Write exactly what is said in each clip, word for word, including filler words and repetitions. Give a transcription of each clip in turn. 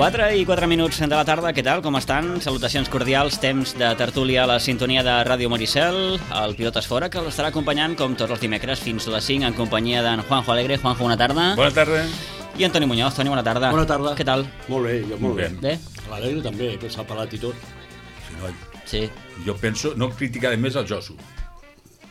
quatre i quatre minuts de la tarda, què tal, com estan? Salutacions cordials, temps de tertúlia a la sintonia de Ràdio Maricel, el Pilotes Fora, que l'estarà acompanyant com tots els dimecres fins a les cinc en companyia d'en Juanjo Alegre. Juanjo, bona tarda. Bona tarda. I Antoni Muñoz. Toni, bona tarda. Bona tarda. Què tal? Molt bé, jo molt bé. Bé? L'Alegre també, que s'ha pelat i tot. Sí, no, Sí. jo penso, no criticaré més el Josu.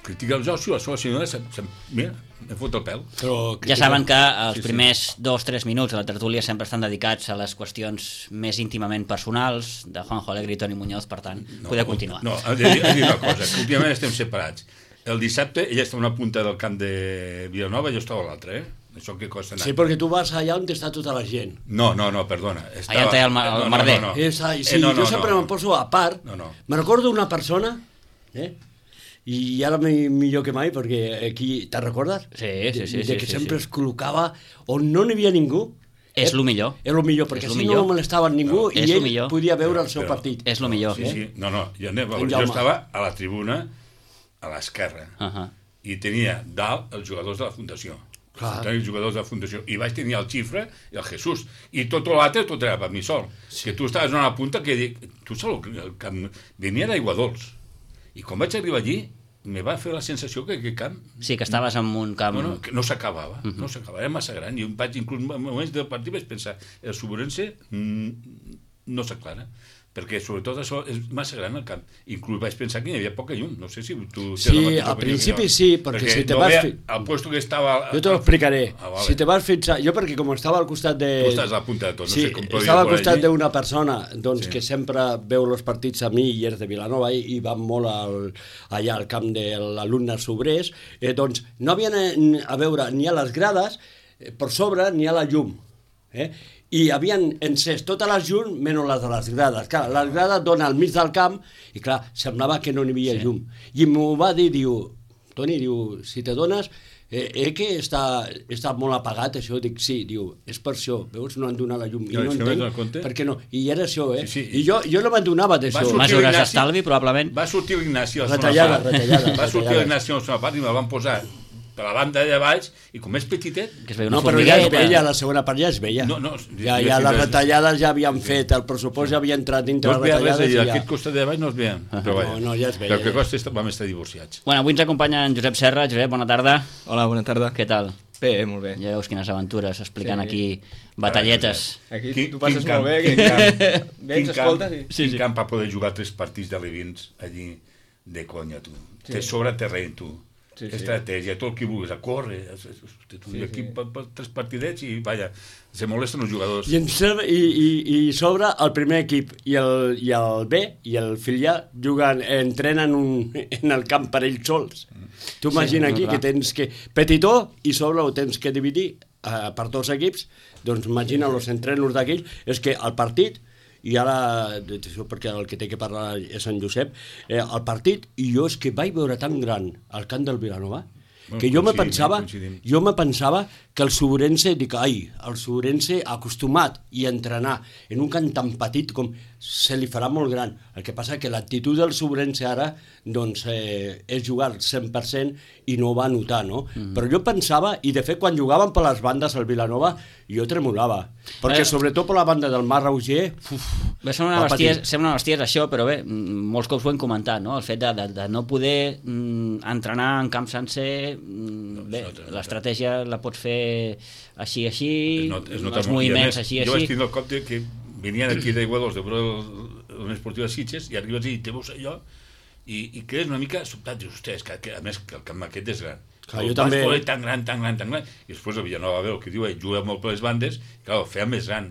Critica el Josu, la seva senyora, se, se, mira, em fot el pèl. Però Ja saben que els Sí, sí. primers dos o tres minuts de la tertúlia sempre estan dedicats a les qüestions més íntimament personals de Juanjo Alegre i Toni Muñoz, per tant, No, podeu continuar. No, he de, he de dir una cosa, que últimament estem separats. El dissabte ella està a una punta del camp de Vilanova i jo estava a l'altra, eh? Això que costa anar. sí, perquè tu vas allà on està tota la gent. No, no, no, perdona. Allà on té el ma- el merder. No, no, no. És, sí, Eh, no, no, jo sempre no. me'n poso a part. No, no. Me recordo una persona, eh? i ara mi- millor que mai, perquè aquí, te'n recordes? Sí, sí, sí, De, sí, de que sí, sempre sí. es col·locava on no n'hi havia ningú. És lo millor. És el millor, perquè És lo si millor. no molestava ningú No, i és lo ell millor. podia veure el seu Però- partit. És lo millor. Sí, sí. No, no, jo, anem, En jo Jaume. estava a la tribuna, a l'esquerra, Uh-huh. i tenia dalt els jugadors de la Fundació. Clar. Tenia els jugadors de la Fundació. I vaig tenir el Xifre i el Jesús. I tot l'altre, tot era per mi sol. Sí. Que tu estaves a una punta que dic, tu saps el camp... Venia d'aigua dolç. I quan vaig arribar allí, me va fer la sensació que aquest camp Sí, que estaves en un camp... no, no, que no s'acabava, uh-huh. no s'acabava, era massa gran. I vaig, inclús en moments del partit vaig pensar, el Suburense mm, no s'aclara, perquè sobretot això és massa gran el camp. Inclús vaig pensar que hi havia poca llum, no sé si tu... tens Sí, la mateixa al opinió principi que jo. sí, perquè si te no vas veia fi- el puesto que estava... Jo te lo explicaré. Ah, vale. Si te vas fixar... Jo perquè com estava al costat de... Tu estàs a la punta de tot, no sí, sé com podria estava al por costat allí. d'una persona doncs, Sí. que sempre veu els partits a mi i és de Vilanova i, i van molt al, allà al camp de l'alumne sobrers, eh, doncs no havien a, a veure ni a les grades eh, per sobre ni a la llum. Eh? I havien encès totes les llums menys les de les grades. Clar, les grades donen al mig del camp i clar, semblava que no n'hi havia sí. llum. I m'ho va dir, diu, Toni, diu, si te dones, eh, eh que està, està molt apagat això, dic, sí, diu, és per això, veus, no han donat la llum, i No, no és que no entenc, te'n compte? per què no, i era això, eh, Sí, sí, i jo, jo no m'adonava Va d'això. sortir Mesures l'Ignasi- d'estalvi, probablement. Va sortir l'Ignasi a la Retallada, segona part. retallada, Va sortir retallada. l'Ignasi a la segona part i me la van posar per la banda d'allà baix i com és petitet... Que es veia una No, però ja es formigueta. veia, la segona part ja es veia. No, no, ja, jo ja sí, les des- retallades ja havien fet, el pressupost ja havia entrat dintre No es les veia res retallades allà, i ja... aquest costat de baix no es veia. Però vaja, no, ja es veia, El que ja. costa és que vam estar divorciats. Bueno, avui ens acompanya en Josep Serra. Josep, bona tarda. Hola, bona tarda. Què tal? Bé, molt bé. Ja veus quines aventures explicant Sí. aquí batalletes. Aquí Quin- tu passes quin camp, molt bé, quin que camp, vens, quin camp, escoltes i... quin camp per poder jugar tres partits d'alevins allí de conya, tu. Sí. Te sobra terreny, tu. Sí, sí. Estratègia, tot el que vulguis, a córrer, a- a- tu, Sí, i aquí sí. per, per tres partidets i, vaja, se molesten els jugadors. I, en ser, i, i, i sobre el primer equip i el, i el B i el filial juguen, entrenen un, en el camp per ells sols. Tu imagina no, aquí clar. que tens que... Petitó i sobre ho tens que dividir eh, per dos equips, doncs imagina els entrenos d'aquells, és que el partit, i ara, això perquè el que té que parlar és en Josep, eh, el partit, i jo és que vaig veure tan gran el camp del Vilanova, que jo me Coincidim, pensava, coincidim. jo me pensava que el Suburense, dic, ai, el Suburense acostumat i entrenar en un camp tan petit com se li farà molt gran. El que passa que l'actitud del Suburense ara doncs, eh, és jugar al cent per cent i no ho va notar, no? Mm. Però jo pensava, i de fet quan jugaven per les bandes al Vilanova, jo tremolava. Perquè Eh. sobretot per la banda del Mar Roger, uf, Bé, sembla una va patir. bestiesa, sembla una bestiesa això, però bé, mm, molts cops ho hem comentat, no? El fet de, de, de no poder mm, entrenar en camp sencer, mm, bé, es nota, l'estratègia la pots fer així, així, Es nota- es nota els molt. I a moviments més, així, jo vaig així. tindre el cop de que venien aquí d'Aiguadols de veure l'Unió Esportiva de Sitges i arribes i te veus allò i, i quedes una mica sobtat, dius, ostres, que, que, a més que el camp aquest és gran. Clar, El jo també. bàsquet tan gran, tan gran, tan gran. I després el Vilanova veu el que diu, ell juga molt per les bandes, i clar, el feia més gran.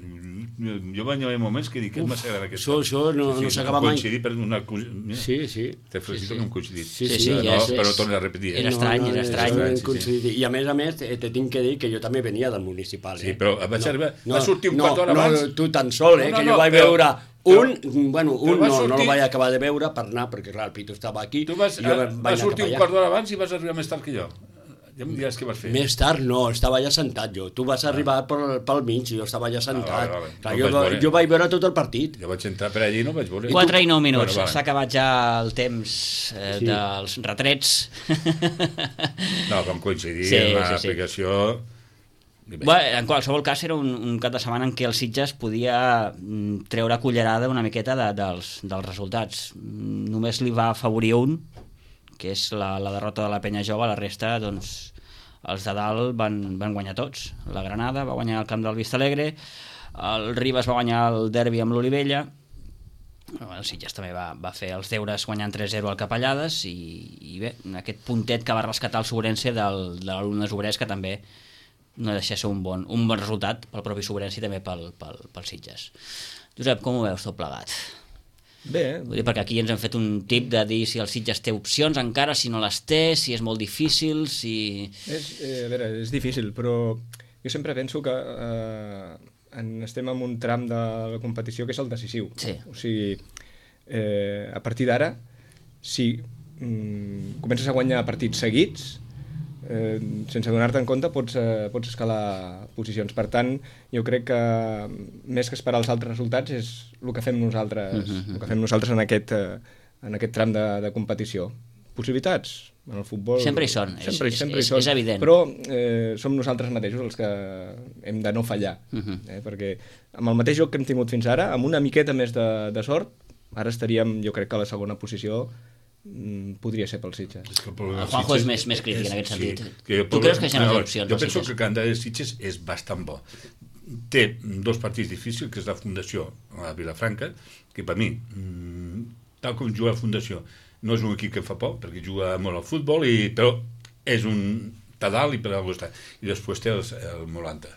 Jo vaig haver moments que dic que és massa gran aquest això- camp. això no- no s'acaba mai. Coincidir per una... Mira, sí, sí. te felicito sí, que hem coincidit. Sí, Sí, sí, sí, però, ja no, és- però no torno a repetir. eh? Era estrany, era és estrany. estrany, Sí, sí. coincidir. I a més a més, te, te tinc que dir que jo també venia del municipal. Eh? Sí, però vaig arribar... va sortir un no, quart d'hora no, abans. No, tu tan sol, eh, No, no, que no, jo vaig però- veure un, bueno, però un va no, no sortir- el vaig acabar de veure per anar, perquè clar, el Pito estava aquí. Tu vas, i jo a, vaig vas anar sortir cap un allà. quart d'hora abans i vas arribar més tard que jo. Ja em diràs què vas fer. Més tard no, estava allà sentat jo. Tu vas arribar pel, pel mig i jo estava allà sentat. Ah, vale, vale. Clar, No jo, vaig veure. jo vaig veure tot el partit. Jo vaig entrar per allí i no vaig veure. quatre i nou minuts, Bueno, va. s'ha acabat ja el temps eh, Sí. dels retrets. No, vam coincidir Sí, en sí, sí. l'aplicació Bé, en qualsevol cas era un, un cap de setmana en què el Sitges podia treure cullerada una miqueta de, dels, dels resultats. Només li va afavorir un, que és la, la derrota de la Penya Jove. La resta, doncs, els de dalt van, van guanyar tots. La Granada va guanyar el camp del Vistalegre, el Ribes va guanyar el derbi amb l'Olivella, el Sitges també va, va fer els deures guanyant tres zero al Capellades i, i bé, aquest puntet que va rescatar el Sobrense del, de l'Alumnes Obrers, que també no deixa de ser un bon, un bon resultat pel propi Sobrense i també pel, pel, pel Sitges. Josep, com ho veus tot plegat? Bé. Vull dir, perquè aquí ens hem fet un tip de dir si el Sitges té opcions encara, si no les té, si és molt difícil, si... És, eh, a veure, és difícil, però jo sempre penso que eh, en, estem en un tram de la competició que és el decisiu. Sí. O sigui, eh, a partir d'ara, si mm, comences a guanyar partits seguits, eh, sense donar-te en compte, pots, eh, pots escalar posicions. Per tant, jo crec que més que esperar els altres resultats és el que fem nosaltres, uh-huh. el que fem nosaltres en aquest, eh, en aquest tram de, de competició. Possibilitats en el futbol... Sempre hi són, sempre, és, sempre és, hi són, és evident. Però eh, som nosaltres mateixos els que hem de no fallar, uh-huh. eh, perquè amb el mateix joc que hem tingut fins ara, amb una miqueta més de, de sort, ara estaríem, jo crec que a la segona posició mm, podria ser pel Sitges. És que el, el Juanjo és més, més crític és, en aquest sentit. Sí, que tu creus que hi ha més opcions? Jo penso que el calendari de Sitges és bastant bo. Té dos partits difícils, que és la Fundació a Vilafranca, que per mi, mm, tal com juga la Fundació, no és un equip que em fa por, perquè juga molt al futbol, i, però és un pedal i per algú està. I després té el, el Molanta,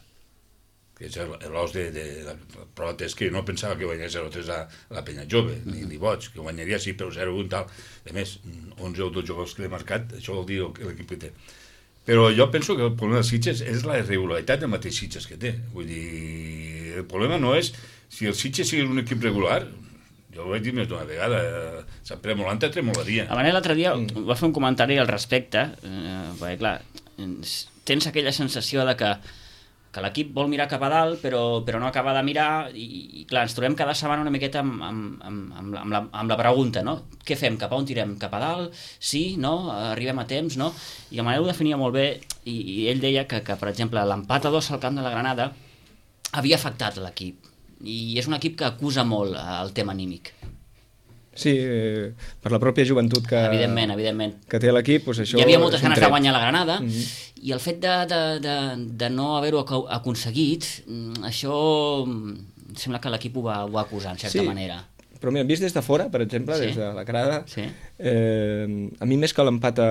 que és l'os de, de, de... Però és que no pensava que guanyés zero tres a la Penya Jove, ni, ni boig, que guanyaria sí, però zero un tal. A més, onze o dotze jugadors que l'he marcat, això vol dir l'equip que té. Però jo penso que el problema dels Sitges és la irregularitat del mateix Sitges que té. Vull dir, el problema no és si el Sitges sigui un equip regular. Jo ho vaig dir més d'una vegada, eh, Sant Pere Molanta tremolaria. A Manel l'altre dia mm. va fer un comentari al respecte, eh, perquè clar, tens aquella sensació de que, que l'equip vol mirar cap a dalt, però, però no acaba de mirar, i, i clar, ens trobem cada setmana una miqueta amb, amb, amb, amb, amb, la, amb la pregunta, no? Què fem? Cap a on tirem? Cap a dalt? Sí? No? Arribem a temps? No? I el Manel ho definia molt bé, i, i ell deia que, que, per exemple, l'empat a dos al camp de la Granada havia afectat l'equip, i és un equip que acusa molt el tema anímic. Sí, eh, per la pròpia joventut que, evidentment, evidentment. que té l'equip, doncs això... Hi havia moltes ganes tret. de guanyar la Granada, mm-hmm. i el fet de, de, de, de no haver-ho aconseguit, això sembla que l'equip ho va, ho va acusar, en certa sí. manera. Però mira, vist des de fora, per exemple, sí. des de la grada, sí. eh, a mi més que l'empat a,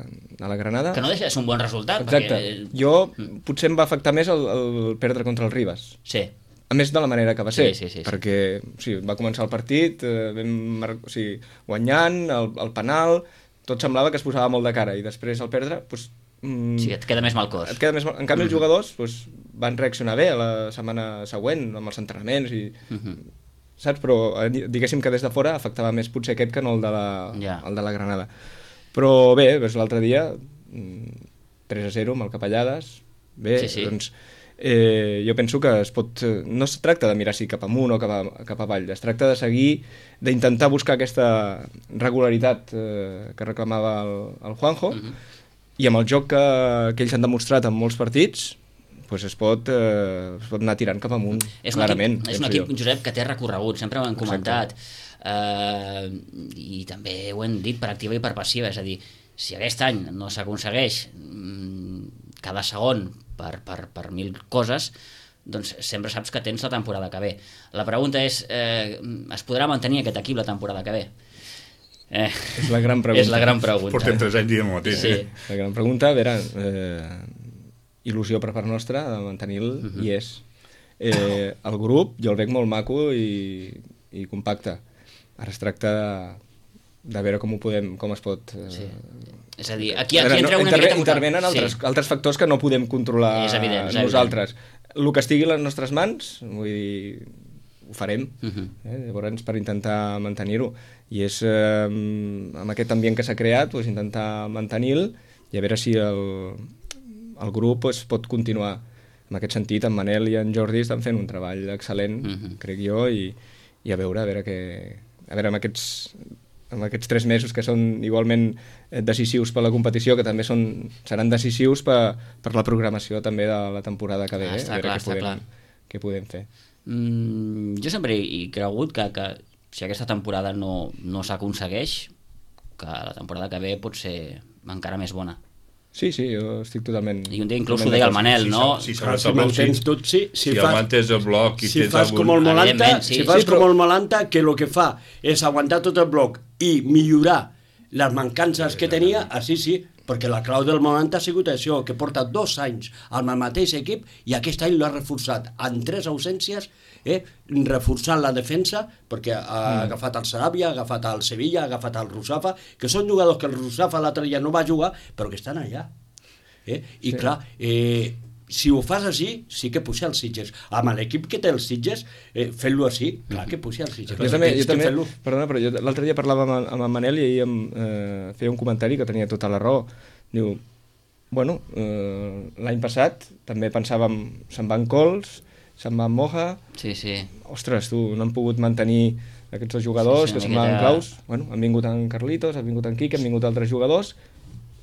a la Granada... Que no deixa de ser un bon resultat. Exacte. Perquè... Jo, potser em va afectar més el, el perdre contra el Ribes. Sí. A més de la manera que va ser, sí, sí, sí, perquè o sigui, va començar el partit, eh, vam mar... o sigui, guanyant, el, el penal, tot semblava que es posava molt de cara, i després al perdre... Doncs, mm, sí, et queda més mal cos. Et queda més mal... En canvi, mm-hmm. els jugadors doncs, van reaccionar bé la setmana següent, amb els entrenaments, i... Mm-hmm. saps? Però diguéssim que des de fora afectava més potser aquest que no el de la, yeah. el de la Granada. Però bé, doncs, l'altre dia, tres a zero amb el Capellades, bé, sí, sí. doncs... Eh, jo penso que es pot, no es tracta de mirar si cap amunt o cap, a, cap avall, es tracta de seguir, d'intentar buscar aquesta regularitat eh, que reclamava el, el Juanjo, uh-huh. i amb el joc que, que ells han demostrat en molts partits, pues es, pot, eh, es pot anar tirant cap amunt, és clarament. Equip, és un equip, Josep, que té recorregut, sempre ho hem comentat, eh, i també ho hem dit per activa i per passiva, és a dir, si aquest any no s'aconsegueix mm, cada segon per, per, per mil coses, doncs sempre saps que tens la temporada que ve. La pregunta és, eh, es podrà mantenir aquest equip la temporada que ve? Eh, és la gran pregunta. És la gran pregunta. Portem tres anys dient el mateix. Sí. Eh? La gran pregunta, a veure, eh, il·lusió per part nostra de mantenir-lo, uh-huh. i és. Eh, el grup, jo el veig molt maco i, i compacte. Ara es tracta de, de veure com ho podem, com es pot... Eh, sí. És a dir, aquí, aquí entra una interve, miqueta... Intervenen altres, sí. altres factors que no podem controlar és evident, és nosaltres. Evident. El que estigui a les nostres mans, vull dir, ho farem, uh-huh. eh? Llavors, per intentar mantenir-ho. I és eh, amb aquest ambient que s'ha creat, doncs, intentar mantenir-lo i a veure si el, el grup pues, pot continuar. En aquest sentit, en Manel i en Jordi estan fent un treball excel·lent, uh-huh. crec jo, i, i a veure, a veure què... A veure, amb aquests en aquests tres mesos que són igualment decisius per la competició, que també són, seran decisius per, per la programació també de la temporada que ve, Ah, eh? està A veure clar, què està podem, clar. què podem fer. Mm, jo sempre he cregut que, que si aquesta temporada no, no s'aconsegueix, que la temporada que ve pot ser encara més bona. Sí, sí, jo estic totalment... I un dia inclús ho totalment deia el d'acord. Manel, Si no? s'ha- si Clar, s'aguanta si el bloc, mantens sí. tot, sí. Si, Si fas, aguantes el bloc i si tens fas algun... com el Molanta, Evidentment, sí, si sí, fas sí, com però- el Molanta, que el que fa és aguantar tot el bloc i millorar les mancances que tenia, així sí, perquè la clau del Molanta ha sigut això, que porta dos anys amb el mateix equip i aquest any l'ha reforçat en tres ausències, eh, reforçant la defensa, perquè ha mm. agafat el Sarabia, ha agafat el Sevilla, ha agafat el Rusafa, que són jugadors que el Rusafa l'altre dia no va jugar, però que estan allà. Eh? I sí. clar, eh, si ho fas així, sí que puja els Sitges. Amb l'equip que té els Sitges, eh, fent-lo així, clar que puja els Sitges. Jo també, jo també fer-lo. perdona, però jo l'altre dia parlava amb, amb en Manel i ell em eh, feia un comentari que tenia tota la raó. Diu, bueno, eh, l'any passat també pensàvem, se'n van Cols, se'n van Moja, Sí, sí. ostres, tu, no han pogut mantenir aquests dos jugadors Sí, sí, que una se'n van miqueta- claus. Bueno, han vingut en Carlitos, han vingut en Quique, han vingut altres jugadors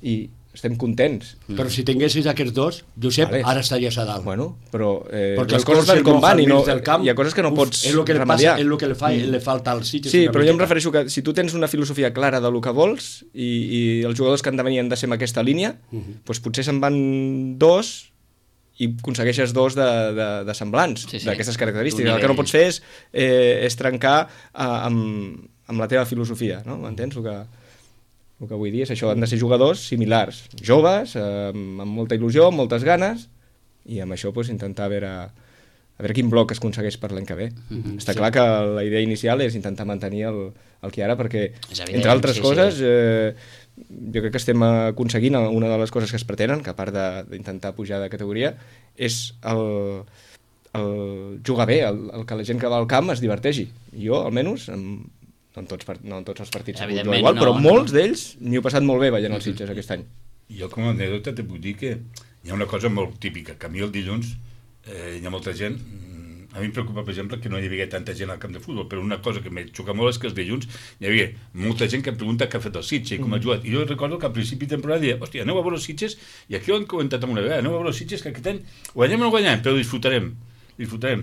i estem contents. Però si tinguessis aquests dos, Josep, Vale. ara estaries a dalt. Bueno, però eh, Perquè les el coses Cols van i el com Moja van i al no, mig del camp, hi ha coses que no uf, pots és el que li remediar. passa, és el que li, fa, le falta als Sitges. Sí, una però jo em miqueta. refereixo que si tu tens una filosofia clara del que vols i, i els jugadors que han de venir han de ser en aquesta línia, uh -huh. doncs potser se'n van dos i aconsegueixes dos de, de, de semblants, Sí, sí. d'aquestes característiques. D'un El que no nivell. pots fer és, eh, és trencar eh, amb, amb la teva filosofia, no? M'entens? El que, el que vull dir és això, han de ser jugadors similars, joves, eh, amb molta il·lusió, amb moltes ganes, i amb això doncs, intentar veure, a veure quin bloc es aconsegueix per l'any que ve. Mhm, Està sí. clar que la idea inicial és intentar mantenir el, el que hi ha ara, perquè, És evident, entre altres sí, coses, sí. eh, jo crec que estem aconseguint una de les coses que es pretenen, que a part de- d'intentar pujar de categoria, és el, el jugar bé, el, el que la gent que va al camp es diverteixi. Jo, almenys, en, no, en tots, par- no en tots els partits ha pogut jugar Evidentment, igual, no, però no. molts d'ells m'hi he passat molt bé veient els Sitges aquest any. Jo com a anècdota te puc dir que hi ha una cosa molt típica, que a mi el dilluns eh, hi ha molta gent, mm, a mi em preocupa per exemple que no hi havia tanta gent al camp de futbol, però una cosa que me xoca molt és que els dilluns hi havia molta gent que em pregunta què ha fet el Sitges i com ha jugat, i jo recordo que al principi de temporada deia, hòstia, aneu a veure els Sitges, i aquí ho hem comentat una vegada, aneu a veure els Sitges que aquest any guanyem o no guanyem, però disfrutarem disfrutarem,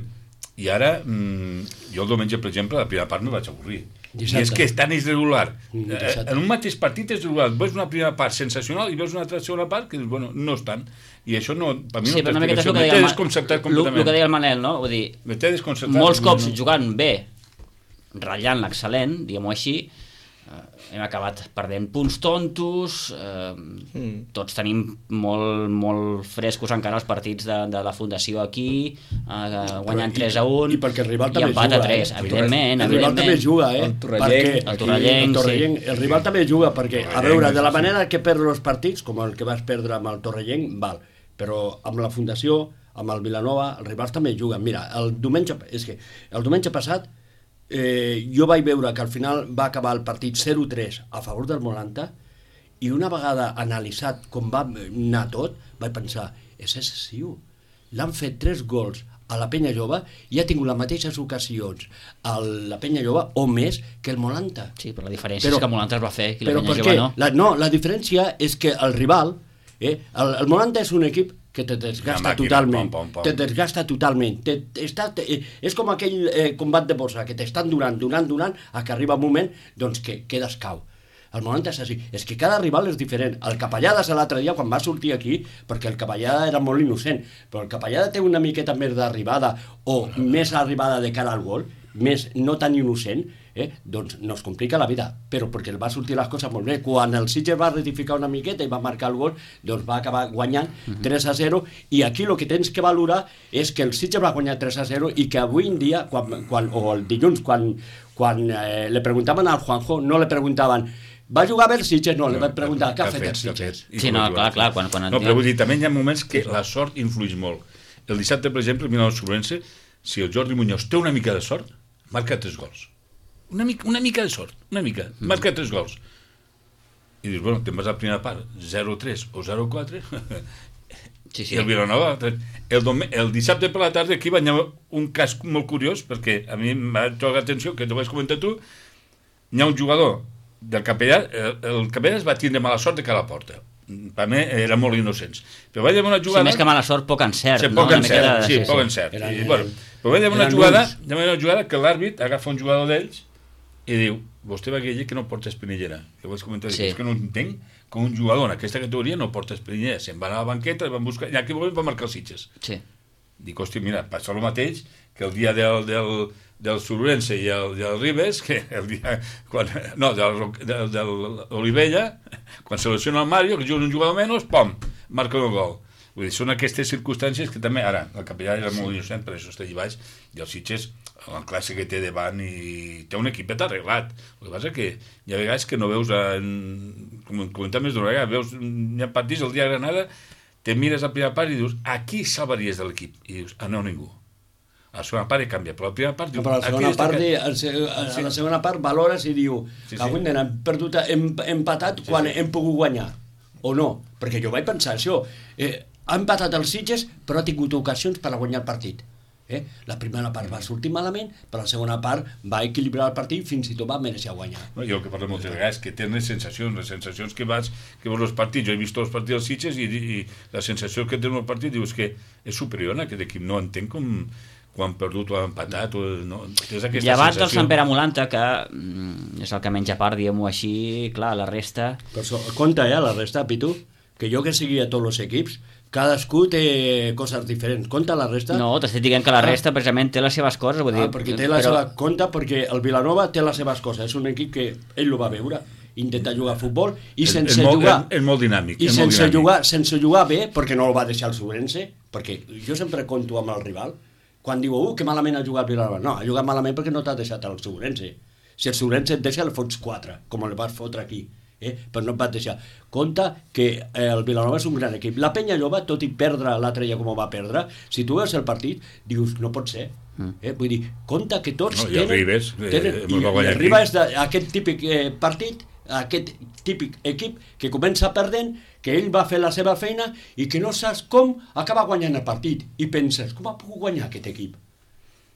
i ara mmm, jo el diumenge per exemple la primera part me vaig avorrir. Dissabte. I és que és tan irregular. Mm, Eh, dissabte. en un mateix partit és irregular. Veus una primera part sensacional i veus una altra segona part que dius, bueno, no estan. I això no, per mi Sí, no però té una miqueta és explicació. el que Me deia té el, desconcertat Ma- lo- lo completament. que deia el Manel, no? Vull dir, Me té desconcertat. molts cops No, no. jugant bé, ratllant l'excel·lent, diguem-ho així, eh, hem acabat perdent punts tontos, eh, Mm. tots tenim molt, molt frescos encara els partits de, de la Fundació aquí, eh, guanyant i- tres a un i perquè el rival i també empat juga, a tres, eh? evidentment, El rival també evidentment. juga, eh? El Torrellenc, Perquè- el Torrellenc, el, Torrellenc, el rival també juga, perquè, a Torrellenc, veure, de la sí, sí. manera que perd els partits, com el que vas perdre amb el Torrellenc, val, però amb la Fundació, amb el Vilanova, els rivals també juguen. Mira, el diumenge, és que el diumenge passat eh, jo vaig veure que al final va acabar el partit zero tres a favor del Molanta, i una vegada analitzat com va anar tot, vaig pensar, és excessiu. L'han fet tres gols a la Penya Jove i ha tingut les mateixes ocasions a la Penya Jove o més que el Molanta. Sí, però la diferència Però- és que Molanta es va fer i la Però Penya per Jove què? no. La, no, la diferència és que el rival, eh, el, el Molanta és un equip que te desgasta Una màquina, totalment, pom, pom, pom. te desgasta totalment, te, està, te, eh, és com aquell eh, combat de bossa, que t'estan donant, donant, donant, a que arriba un moment doncs, que quedes cau. El Molanta és així, és que cada rival és diferent. El Capellades l'altre dia, quan va sortir aquí, perquè el Capellada era molt innocent, però el Capellada té una miqueta més d'arribada o més arribada de cara al gol, més no tan innocent, eh? doncs no es complica la vida, però perquè el va sortir les coses molt bé. Quan el Sitges va rectificar una miqueta i va marcar el gol, doncs va acabar guanyant tres a zero, i aquí el que tens que valorar és que el Sitges va guanyar tres a zero i que avui en dia, quan, quan, o el dilluns, quan, quan eh, le preguntaven al Juanjo, no le preguntaven va jugar bé el Sitges? No, li van preguntar què ha fet el Sitges? I Sí, com no, ha jugat. clar, clar, quan- quan No, en- però vull dir, també hi ha moments que la sort influeix molt. El dissabte, per exemple, mira el Sobrense, si el Jordi Muñoz té una mica de sort, marca tres gols. Una mica, una mica de sort, una mica, marca tres gols. I dius, bueno, te'n vas a la primera part, zero tres o zero quatre, Sí, sí. i el Vilanova, el, dom- el dissabte per la tarda aquí va haver un cas molt curiós, perquè a mi m'ha tocat l'atenció, que t'ho vas comentar tu, hi ha un jugador del capellà, el, el capellà es va tindre mala sort de que a la porta. Per mi era molt innocents. Però vaig una jugada... Sí, més que mala sort, poc encert. Sí, no? poc encert, de... sí, sí, poc sí. encert. Eren, I, bueno, però vaig una jugada, una jugada que l'àrbit agafa un jugador d'ells i diu, vostè va dir que no porta espinillera. Que vaig comentar, Sí. és que no entenc que un jugador en aquesta categoria no porta espinillera. Se'n va anar a la banqueta, el van buscar, i aquí va marcar els Sitges. Sí. Dic, hòstia, mira, passa el mateix que el dia del, del, del Surrense i el, del Ribes, que el dia... Quan, no, del, del, del Olivella, quan selecciona el Mario, que juga un jugador menys, pom, marca un gol. Vull dir, són aquestes circumstàncies que també, ara, el capellà era molt innocent, per això està allà baix, i el Sitges, la classe que té davant, i té un equipet arreglat. El que passa que hi ha vegades que no veus, en, com comentem més d'una vegada, veus, hi ha partits el dia de Granada, te mires a la primera part i dius, a qui salvaries de l'equip? I dius, ah, no, ningú. A la segona part canvia, però a la primera part... No, però a la segona part, que... a, a, a la segona part valores i diu sí, que avui sí. hem perdut, hem empatat Sí, quan sí. hem pogut guanyar, o no, perquè jo vaig pensar això, eh, ha empatat els Sitges però ha tingut ocasions per a guanyar el partit. Eh? La primera part va sortir malament, però la segona part va equilibrar el partit, fins i tot va mereixer guanyar. No, jo el que parlo moltes vegades que tenen les sensacions, les sensacions que vas, que veus els partits, jo he vist els partits dels Sitges i, i la sensació que tenen el partit dius que és superior a aquest equip, no entenc com quan perdut o ha empatat o no, tens aquesta Llevat sensació. del Sant Pere Molanta, que mm, és el que menja part, diguem-ho així, clar, la resta... Per això, compte, eh, la resta, Pitu, que jo que seguia tots els equips, cadascú té coses diferents. Compte la resta? No, t'estic dient que la resta precisament té les seves coses, vull dir... Ah, perquè té la però... seva compte, perquè el Vilanova té les seves coses. És un equip que ell ho va veure, intenta jugar a futbol i És- sense és molt, jugar... És, és molt dinàmic. I és sense molt dinàmic. jugar, sense jugar bé, perquè no el va deixar el Sobrense, perquè jo sempre conto amb el rival, quan diu, uh, que malament ha jugat Vilanova. No, ha jugat malament perquè no t'ha deixat el Sobrense. Si el Sobrense et deixa, el fots quatre, com el vas fotre aquí. Eh? Però no et vas deixar. Compte que eh, el Vilanova és un gran equip. La Penya Lloba, tot i perdre l'altre dia com ho va perdre, si tu veus el partit, dius, no pot ser. Eh? Vull dir, compte que tots No, i el tenen... Ribes, eh, tenen ens i, va i guanyar el Ribes aquí. és de, aquest típic eh, partit, aquest típic equip que comença perdent, que ell va fer la seva feina i que no saps com acaba guanyant el partit. I penses, com ha pogut guanyar aquest equip?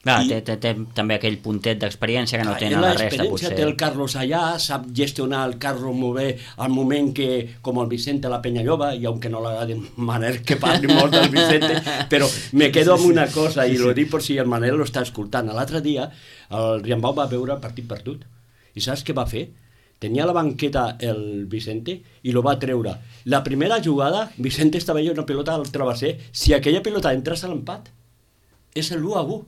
Clar, I- té, té, té també aquell puntet d'experiència que no tenen la resta, L'experiència potser. té el Carlos allà, sap gestionar el Carlos molt bé al moment que, com el Vicente a la Penyalloba, i aunque no l'agradi Manel que parli molt del Vicente, però me quedo amb una cosa, i lo dic per si el Manel lo està escoltant. L'altre dia el Riambau va veure el partit perdut, i saps què va fer? Tenia a la banqueta el Vicente i lo va treure. La primera jugada, Vicente estava allà una pelota al travesser, si aquella pelota entrés a l'empat, és l'u a u.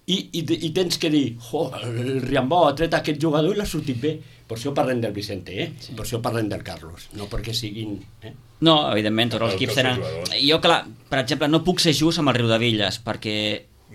I, i, i tens que dir, oh, el Riambau ha tret aquest jugador i l'ha sortit bé. Per això parlem del Vicente, eh? Sí. Per això parlem del Carlos, no perquè siguin... Eh? No, evidentment, tots els El equips que tenen... els jugadors. Jo, clar, per exemple, no puc ser just amb el Riudevilles, perquè...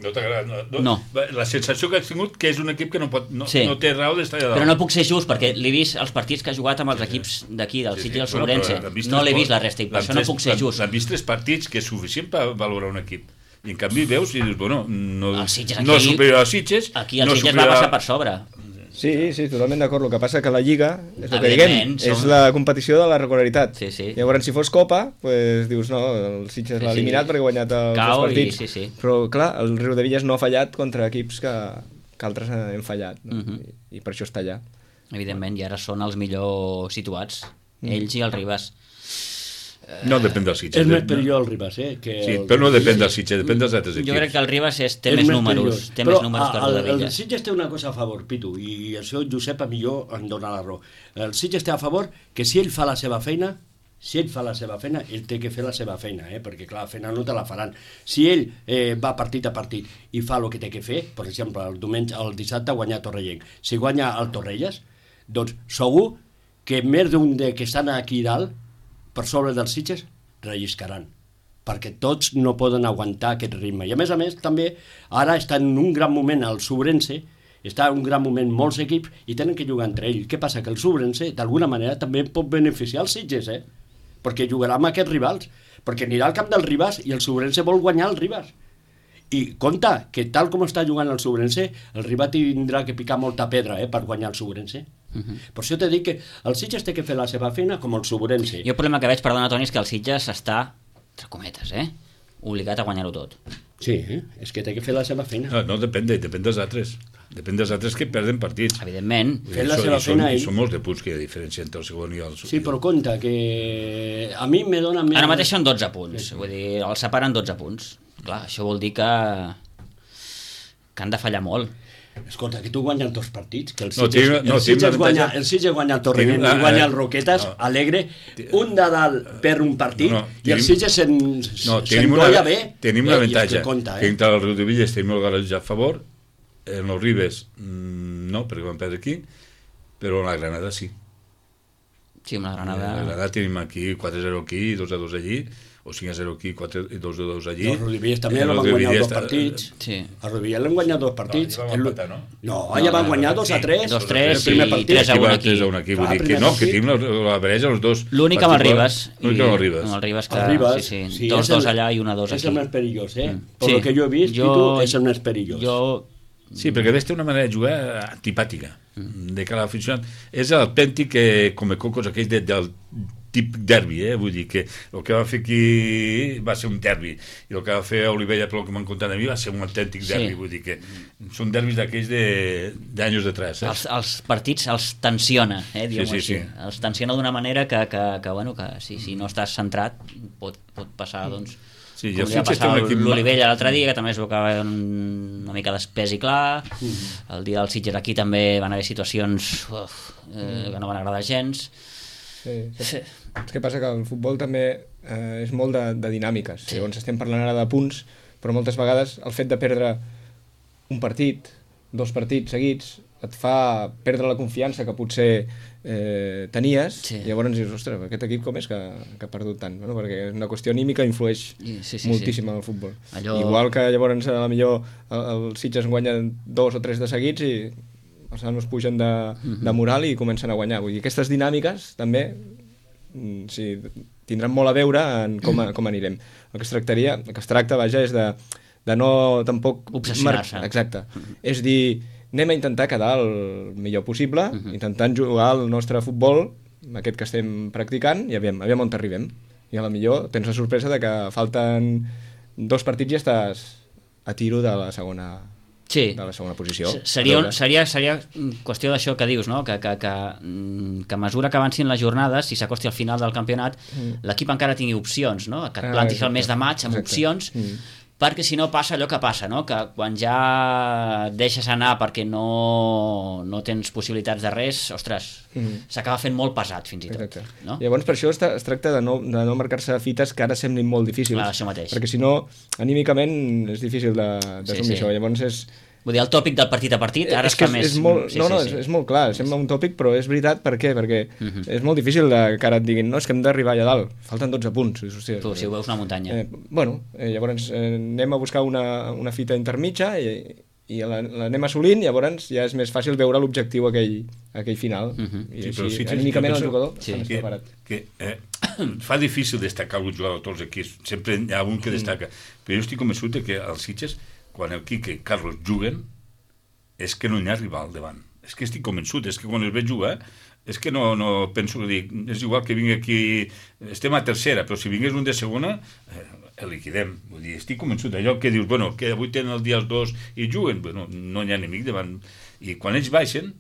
No t'agrada? No, no. No. La sensació que has tingut que és un equip que no, pot, no, Sí. no té raó d'estar allà dalt. Però no puc ser just, perquè l'he vist els partits que ha jugat amb els equips d'aquí, del Sitges i del Sobrense. Bueno, però no l'he l'han vist la resta, i per l'han això no tres- puc ser l'han- just. L'han vist tres partits, que és suficient per valorar un equip. I en canvi veus i dius, bueno, no, El Sitges no aquí- és superior a Sitges. Aquí el no és Sitges va superior a- passar per sobre. Sí, sí, totalment d'acord. El que passa que la Lliga, és el que Evidentment, diguem, som- és la competició de la regularitat. Sí, sí. Llavors, si fos Copa, pues, dius, no, el Sitges Sí, l'ha sí. eliminat perquè ha guanyat els Cau dos partits. i sí, sí. Però, clar, el Riudevilles no ha fallat contra equips que, que altres hem fallat. No? Mhm. I, I per això està allà. Evidentment, i ara són els millor situats, ells i el Ribas. No depèn del Sitges. És més de- perillós el Ribas, eh? Que Sí, el... però no depèn del Sitges, depèn dels altres equips. Jo crec que el Ribas és, té És més més números, perillós. té Però més números que el el, el Riudevilles. Sitges té una cosa a favor, Pitu, i això Josep a millor em dona la raó. El Sitges té a favor que si ell fa la seva feina, si ell fa la seva feina, ell té que fer la seva feina, eh? Perquè clar, la feina no te la faran. Si ell eh, va partit a partit i fa el que té que fer, per exemple, el diumenge, el dissabte guanyar Torrellenc, si guanya el Torrelles, doncs segur que més d'un de que estan aquí dalt, per sobre dels Sitges, relliscaran, perquè tots no poden aguantar aquest ritme. I a més a més, també, ara està en un gran moment el Sobrense, està en un gran moment molts equips i tenen que jugar entre ells. Què passa? Que el Sobrense, d'alguna manera, també pot beneficiar els Sitges, eh? Perquè jugarà amb aquests rivals, perquè anirà al camp del Ribas i el Sobrense vol guanyar el Ribas. I compte, que tal com està jugant el Sobrense, el Ribas tindrà que picar molta pedra, eh, per guanyar el Sobrense. Uh -huh. Per això t'he dit que el Sitges té que fer la seva feina com el Sobrense. Jo el problema que veig, perdona Toni, és que el Sitges està, entre cometes, eh, obligat a guanyar-ho tot. Sí, eh? És que té que fer la seva feina. No, no depèn, de, depèn dels altres. Depèn dels altres que perden partits. Evidentment. Fent la seva feina ell. ell. Són molts de punts que hi ha diferència entre el segon i el... Sí, però compte, que a mi me dona més... Ara mateix són dotze punts, vull dir, els separen dotze punts. Clar, això vol dir que que han de fallar molt. Escolta, que tu guanyes dos partits, que el No, Sitges, tinc- no, el tinc Sitges una guanya, avantatge. el Sitges guanya el Torrent Tinc una- i guanya el eh, Roquetes, no. alegre, un de dalt per un partit, No, no, i el tenim- Sitges se'n No, se tenim una, bé. tenim i- un i és que avantatge, compta, que eh? entre el Riudevilles tenim el garatge a favor, en els Ribes mm, no, perquè vam perdre aquí, però en la Granada sí. Sí, amb la En Granada... la Granada tenim aquí quatre a zero aquí, dos a dos allí, o cinc a zero aquí, quatre i dos a dos allí. Els Riudevilles també Eh, no el van guanyar Riudevilles dos està- partits. Sí. A Riudevilles l'han guanyat dos partits. No, allà van El- empatar, no? No, allà van guanyar dos a tres. dos a tres el primer i partit. tres a Aquí un va aquí. tres a un aquí, vull Clar, dir que primer no, que partit. tenim la, la barreja els dos. L'únic amb el partits, Ribes. L'únic amb el Ribes. Amb el Ribes, que, El Ribes, sí, sí, sí, dos, és el- dos allà i un a dos És aquí. el més perillós, eh? Mm. Per Sí. lo que jo he vist, Jo- Pitu, és el més perillós. Jo... Sí, perquè ves té una manera de jugar antipàtica, de cara a l'aficionat. És l'autèntic que come cocos aquell de, del típic derbi, eh? Vull dir que el que va fer aquí va ser un derbi, i el que va fer Olivella, pel que m'han contat a mi, va ser un autèntic derbi, Sí. vull dir que són derbis d'aquells de- d'anys d'atrás. Eh? Els, els partits els tensiona, eh, diguem-ho Sí, sí, així. sí. Els tensiona d'una manera que, que, que, bueno, que si, si no estàs centrat pot, pot passar, doncs, Sí, i com el li va Sitges té passar un equip- l'Olivella l'altre dia, que també es veu que va un, una mica d'espès i clar. El dia del Sitges aquí també van haver situacions uf, eh, que no van agradar gens. Sí, sí. Sí. És que passa que el futbol també eh, és molt de, de dinàmiques. Sí. Llavors estem parlant ara de punts, però moltes vegades el fet de perdre un partit, dos partits seguits, et fa perdre la confiança que potser eh, tenies, Sí. i llavors dius, ostres, aquest equip com és que, que ha perdut tant? Bueno, perquè és una qüestió anímica, influeix Sí, sí, sí, moltíssim en el futbol. Allò- Igual que llavors a la millor el, el Sitges guanya dos o tres de seguits i els nanos pugen de, de moral i comencen a guanyar. Vull dir, aquestes dinàmiques també mm, sí, tindran molt a veure en com, a, com anirem. El que es tractaria, el que es tracta, vaja, és de, de no tampoc... Obsessionar-se. mar- Exacte. És dir, anem a intentar quedar el millor possible, intentant jugar el nostre futbol, aquest que estem practicant, i aviam, aviam on arribem. I a la millor tens la sorpresa de que falten dos partits i estàs a tiro de la segona, Sí. de la segona posició. S- Seria, A un, veure. seria, seria qüestió d'això que dius, no? que, que, que, mm, que a mesura que avancin les jornades, si s'acosti al final del campionat, mm. l'equip encara tingui opcions, no? que et Ah, plantis al exacte. mes de maig amb Exacte. opcions, Mm. perquè si no passa allò que passa, no? que quan ja deixes anar perquè no, no tens possibilitats de res, ostres, Mm. s'acaba fent molt pesat fins i tot. Exacte. No? Llavors, per això es, tra- es tracta de no, de no marcar-se fites que ara semblin molt difícils. Clar, això mateix. Perquè si no, anímicament és difícil de, de Sí, assumir sí. això. Llavors és... Vull dir, el tòpic del partit a partit ara és es fa que més... és molt, sí, no, no, sí, és, sí. és molt clar, sembla un tòpic, però és veritat, per què? Perquè Mhm. és molt difícil de, que ara et diguin, no, és que hem d'arribar allà dalt, falten dotze punts. I dius, hòstia, Tu, si ho veus una muntanya. Eh, bueno, eh, llavors eh, anem a buscar una, una fita intermitja i, i la- l'anem assolint, llavors ja és més fàcil veure l'objectiu aquell, aquell final. Mhm. I Sí, però així, Sitges, anímicament jo el penso jugador Sí. està més que, preparat. que eh, fa difícil destacar un jugador de tots els equips, sempre hi ha un que destaca, però jo estic convençut de que els Sitges, quan el Quique i Carlos juguen, és que no hi ha rival davant. És que estic convençut, és que quan els veig jugar, és que no, no penso que dic, és igual que vingui aquí, estem a tercera, però si vingués un de segona, eh, el liquidem. Vull dir, estic convençut d'allò que dius, bueno, que avui tenen el dia els dos i juguen, bueno, no hi ha enemic davant. I quan ells baixen,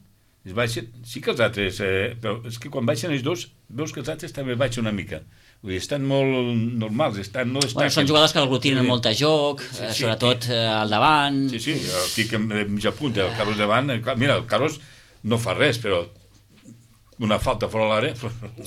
ells baixen, sí que els altres, eh, però és que quan baixen ells dos, veus que els altres també baixen una mica. Vull dir, estan molt normals, estan, no destaquen. Bueno, són jugadors que aglutinen Sí. molt de joc, Sí, eh, sí, sobretot sí. eh, al davant. Sí, sí, el Quique de mitja punta, el Carlos davant, el, mira, el Carlos no fa res, però una falta fora l'àrea...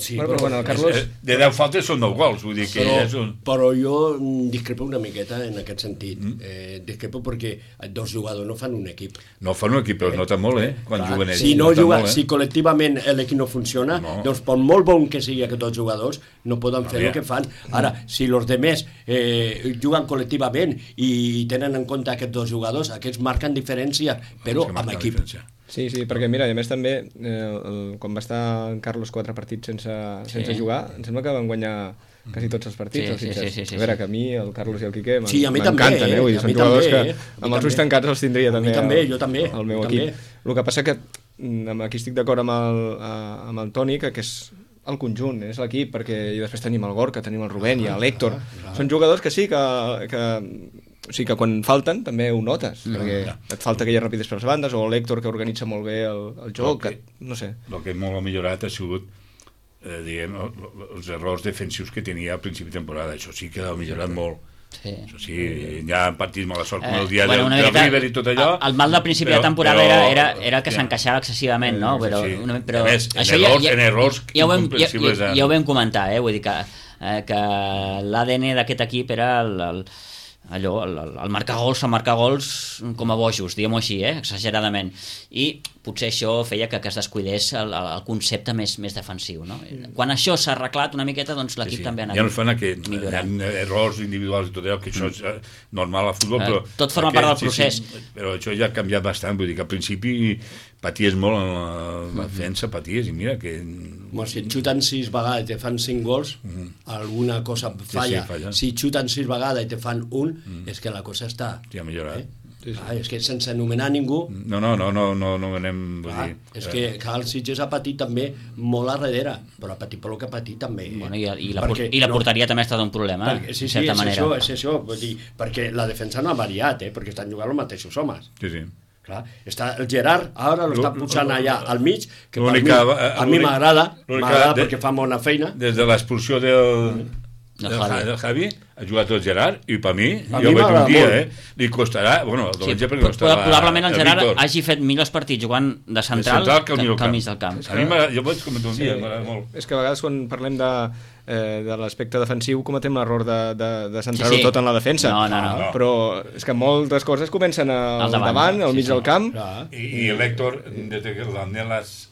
Sí, Bueno, però bueno, el Carlos... Eh, De deu faltes són nou gols, vull dir que Però, és un... però jo mm, discrepo una miqueta en aquest sentit. Mm. Eh, discrepo perquè dos jugadors no fan un equip. No fan un equip, però es nota molt, eh? Quan Clar, juguen ells. si, no nota juga, molt, eh? si col·lectivament l'equip no funciona, No. doncs per molt bon que sigui aquests dos jugadors, no poden fer Aviam. el que fan. Ara, si els demés eh, juguen col·lectivament i tenen en compte aquests dos jugadors, aquests marquen diferència, però És que amb marca la equip. diferència. Sí, sí, perquè mira, i a més també, eh, el, quan va estar en Carlos quatre partits sense, sense Sí. jugar, em sembla que van guanyar quasi tots els partits. Sí, els sí, Sitges. sí, sí, sí, a veure, sí. que a mi, el Carlos i el Quique, Sí, a mi també, m'encanten, eh? Vull dir, a són mi jugadors també, que eh? A mi amb els ulls també. tancats els tindria A mi també. també, el, jo també, El meu jo equip. també. El que passa que, mm, amb- aquí estic d'acord amb, el, eh, amb el Toni, que, que és el conjunt, és l'equip, perquè i després tenim el Gorka, tenim el Rubén i l'Héctor. Són jugadors que sí, que, que o sigui que quan falten també ho notes, No, perquè ja. et falta aquella rapidesa per les bandes, o l'Héctor que organitza molt bé el, el joc, Okay. que, no sé. El que molt ha millorat ha sigut eh, diguem, els errors defensius que tenia al principi de temporada. Això sí que ha millorat molt. Sí. Això sí, hi ha partits mala sort, com Eh, el dia bueno, del, una del miqueta, River i tot allò. El mal del principi però- de temporada però- era, era, era que ja. s'encaixava excessivament, no? Però, Sí. una, però A més, en això errors- ja, ja, en errors ja, ho vam, ja, incomprensibles, ja, eh? ja ho vam comentar, eh? Vull dir que, eh, que l'A D N d'aquest equip era el, el, allò, el, el, el marcar gols, el marcar gols com a bojos, diguem-ho així, eh? Exageradament. I potser això feia que, que es descuidés el, el, el concepte més, més defensiu, no? Quan això s'ha arreglat una miqueta, doncs l'equip Sí, sí. també ha anat Ja no es fan aquest, hi millorant. ha errors individuals i tot allò, que això és eh, normal al futbol, Eh, però... tot forma aquest, part del procés. Sí, sí, però això ja ha canviat bastant, vull dir que al principi paties molt en la, la defensa, paties, i mira que... Home, si et xuten sis vegades i te fan cinc gols, alguna cosa falla. sí, falla. Si et xuten sis vegades i te fan un, és que la cosa està... Ja ha millorat. Eh? Ah, és que sense anomenar ningú, No, no, no, no, no, no anem... Vull ah, dir, és eh, que, que el Sitges ha patit també molt a darrere, però ha patit per el que ha patit també. Bueno, i, i, la, Perquè i la no- porteria també ha estat un problema, perquè, sí, en sí, certa és manera. això, és això, vull dir, perquè la defensa no ha variat, eh, perquè estan jugant els mateixos homes. Sí, sí. Clar, està el Gerard, ara lo està posant allà al mig, que per mi, L'única- a mi l'únic- m'agrada, l'única m'agrada de- perquè fa bona feina. Des de l'expulsió del, Del del, Javi. Javi. del Javi, ha jugat el Gerard, i per mi, A jo mi veig m'agrada un dia, molt. eh? Li costarà, bueno, el Sí, Dolenge perquè però- costarà però probablement el Gerard Víctor. hagi fet millors partits jugant de central, central que al que, mig que al mig del camp. A mi m'agrada, jo vaig comentar un Sí, dia, m'agrada molt. és que a vegades quan parlem de, eh, de l'aspecte defensiu cometem l'error de, de, de centrar-ho Sí, sí. tot en la defensa. No, no, no. Però és que moltes coses comencen al, Al davant, davant, al sí, mig sí. del camp. Clar. I, i l'Hèctor, des que l'Andelas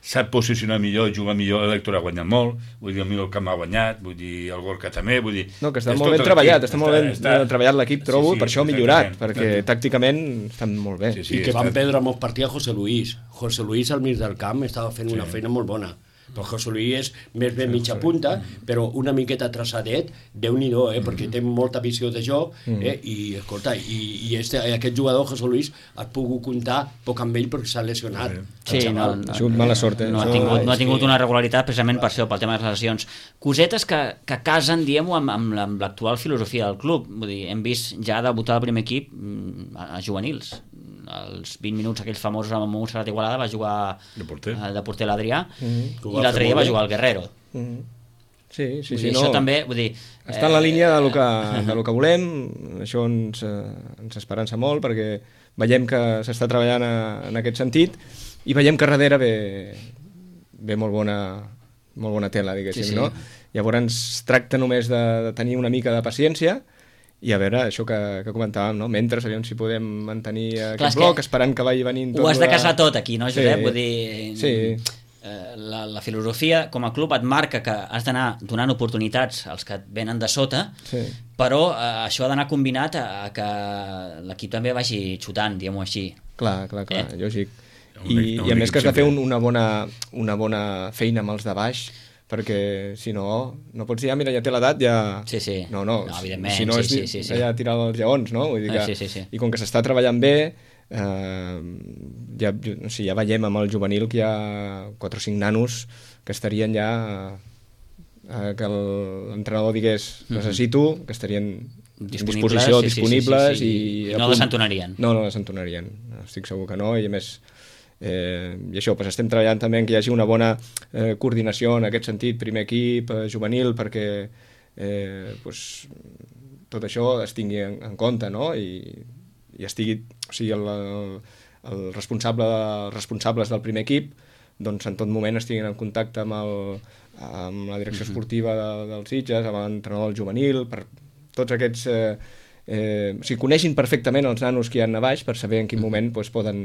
sap posicionar millor, juga millor, l'Hèctor ha guanyat molt, vull dir, el meu camp ha guanyat, vull dir, el Gorka també, vull dir... No, que està és molt tot ben l'equip, treballat, està, molt ben està- treballat l'equip, trobo, Sí, sí, per això ha millorat, exactament, perquè exactament. tàcticament estan molt bé. Sí, I que està- van perdre molts partits a José Luis. José Luis al mig del camp estava fent una feina molt bona. Però José Luis és més ben mitja punta, però una miqueta traçadet, Déu-n'hi-do, eh? perquè té molta visió de joc, eh? i escolta, i, i este, aquest jugador, José Luis, has pogut comptar poc amb ell perquè s'ha lesionat. Sí, El no, xaval. no, Ha sigut mala sort, eh? no, ha Això- tingut, no ha és tingut que- una regularitat precisament per això, pel tema de les lesions. Cosetes que, que casen, diguem-ho, amb, amb la- amb l'actual filosofia del club. Vull dir, hem vist ja debutar el primer equip mm, a, a juvenils. Els vint minuts aquells famosos amb Montserrat Igualada va jugar De porter. eh, de porter l'Adrià Mhm. Que ho i va l'altre fer dia molt va bé. jugar el Guerrero. Mhm. Sí, sí, Vull sí, dir, no. això també, vull dir... Està en la línia de lo que, de lo que volem, això ens, eh, ens esperança molt perquè veiem que s'està treballant a, en aquest sentit i veiem que darrere ve, ve molt bona, molt bona tela, diguéssim, Sí, sí. no? Llavors es tracta només de, de tenir una mica de paciència i a veure, això que, que comentàvem, no? Mentre, aviam si podem mantenir aquest Clar, és bloc, que esperant que vagi venint tot... Ho has de la- casar tot aquí, no, Josep? Sí. Vull dir... Sí. eh, La, la filosofia com a club et marca que has d'anar donant oportunitats als que et venen de sota, Sí. però eh, això ha d'anar combinat a, a que l'equip també vagi xutant, diguem-ho així. Clar, clar, clar, Eh? lògic. Un I, equip- un I a més equip que has de fer sempre. un, una, bona, una bona feina amb els de baix, perquè si no, no pots dir, ah, mira, ja té l'edat, ja... Sí, sí. No, no, No, evidentment, si no sí, és sí, sí, sí. ja tirar els lleons, no? Vull dir que, Ah, sí, sí, sí. I com que s'està treballant bé, eh, ja, o sigui, ja veiem amb el juvenil que hi ha quatre o cinc nanos que estarien ja... Eh, que el- l'entrenador digués necessito, que estarien en Disponibles, disposició, sí, sí, sí, disponibles sí, sí. i... I a no punt. desentonarien. No, no desentonarien, estic segur que no, i a més eh, i això, doncs estem treballant també en que hi hagi una bona eh, coordinació en aquest sentit, primer equip, eh, juvenil, perquè eh, doncs, tot això es tingui en, en compte, no? I, i estigui, o sigui, el, el, el responsable, els responsables del primer equip doncs en tot moment estiguin en contacte amb, el, amb la direcció esportiva de, dels Sitges, amb l'entrenador del juvenil, per tots aquests... Eh, eh, o sigui, coneixin perfectament els nanos que hi ha a baix per saber en quin moment doncs, poden,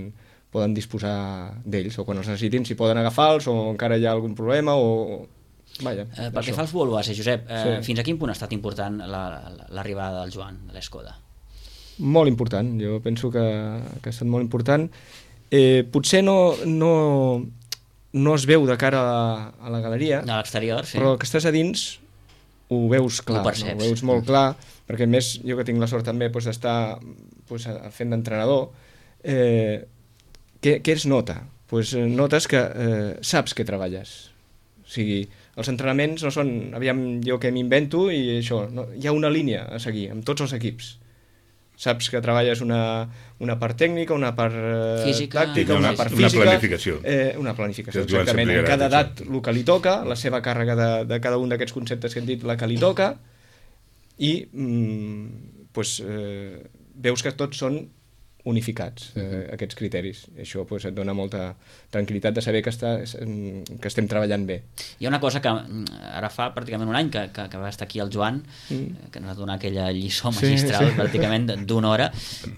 poden disposar d'ells, o quan els necessitin, si poden agafar-los, o encara hi ha algun problema, o... Vaja, Eh, pel que això. fa als Volvas, Josep, eh, Sí. fins a quin punt ha estat important la- la- l'arribada del Joan, de l'Escoda? Molt important, jo penso que, que ha estat molt important. Eh, potser no, no, no es veu de cara a la, a la galeria, De l'exterior, sí. però que estàs a dins ho veus clar, Ho perceps. no? Ho veus molt clar, perquè a més jo que tinc la sort també doncs, d'estar doncs, fent d'entrenador, eh, què, què es nota? Pues, eh, notes que eh, saps que treballes. O sigui, els entrenaments no són, aviam, jo que m'invento i això, no, hi ha una línia a seguir amb tots els equips. saps que treballes una, una part tècnica, una part eh, Física. tàctica, Una- una part una física. planificació. Eh, una planificació, Que es diuen exactament. sempre En cada gratis, edat el que li toca, la seva càrrega de, de cada un d'aquests conceptes que hem dit, la que li toca, i mm, pues, eh, veus que tots són unificats, eh, aquests criteris. I això pues, et dona molta tranquil·litat de saber que, està, que estem treballant bé. Hi ha una cosa que ara fa pràcticament un any que, que, que va estar aquí el Joan, mm. que ens va donar aquella lliçó magistral, sí, pràcticament d'una hora.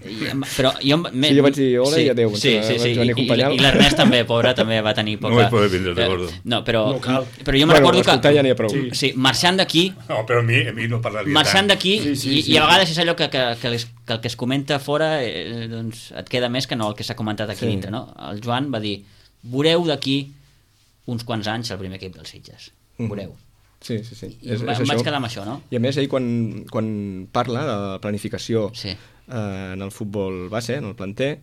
I, però jo, me, sí, jo vaig dir hola sí, i adéu. Sí, sí, sí, i, i, i l'Ernest també, pobre, també va tenir poca... No vaig poder vindre, recordo. No, però, No cal. però jo me Bueno, recordo que... ja n'hi ha prou. Sí, sí, marxant d'aquí, No, però a mi, a mi no parlaria marxant tant. d'aquí, Sí, sí, i, sí. i a vegades és allò que, que, que, les, que el que es comenta fora eh, doncs et queda més que no el que s'ha comentat aquí Sí. dintre, no? El Joan va dir, veureu d'aquí uns quants anys el primer equip dels Sitges, veureu. Sí, sí, sí. I em, va- em vaig quedar amb això, no? I a més, ell quan, quan parla de la planificació Sí. eh, en el futbol base, en el planter,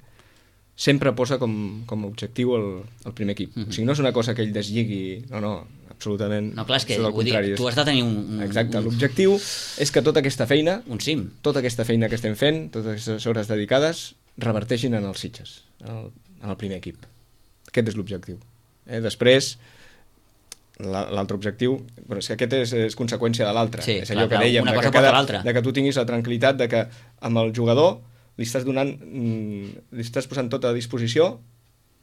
sempre posa com, com a objectiu el, el primer equip. Mhm. O sigui, no és una cosa que ell deslligui, no, no, absolutament. No, clar, és que tot el vull dir, contrari, és- tu has de tenir un... un Exacte, un, l'objectiu és que tota aquesta feina, un cim. tota aquesta feina que estem fent, totes aquestes hores dedicades, reverteixin en els Sitges, en el, en el primer equip. Aquest és l'objectiu. Eh? Després, la- l'altre objectiu, però és que aquest és, és conseqüència de l'altre. Sí, és allò clar, que clar, dèiem, una de cosa que, porta cada, l'altra. de que tu tinguis la tranquil·litat de que amb el jugador li estàs donant, mm, li estàs posant tot a disposició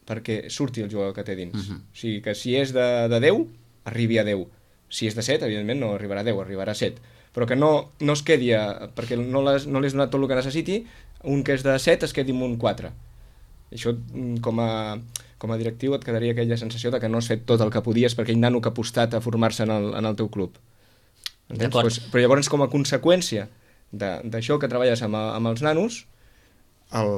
perquè surti el jugador que té dins. Mhm. O sigui, que si és de, de deu, arribi a deu. Si és de set, evidentment no arribarà a deu, arribarà a set. Però que no, no es quedi, a, perquè no l'has no li has donat tot el que necessiti, un que és de set es quedi amb un quatre. I això, mm, com a, com a directiu, et quedaria aquella sensació de que no has fet tot el que podies per aquell nano que ha apostat a formar-se en, el, en el teu club. Entens? D'acord. Pues, però llavors, com a conseqüència de- d'això que treballes amb, amb els nanos, el,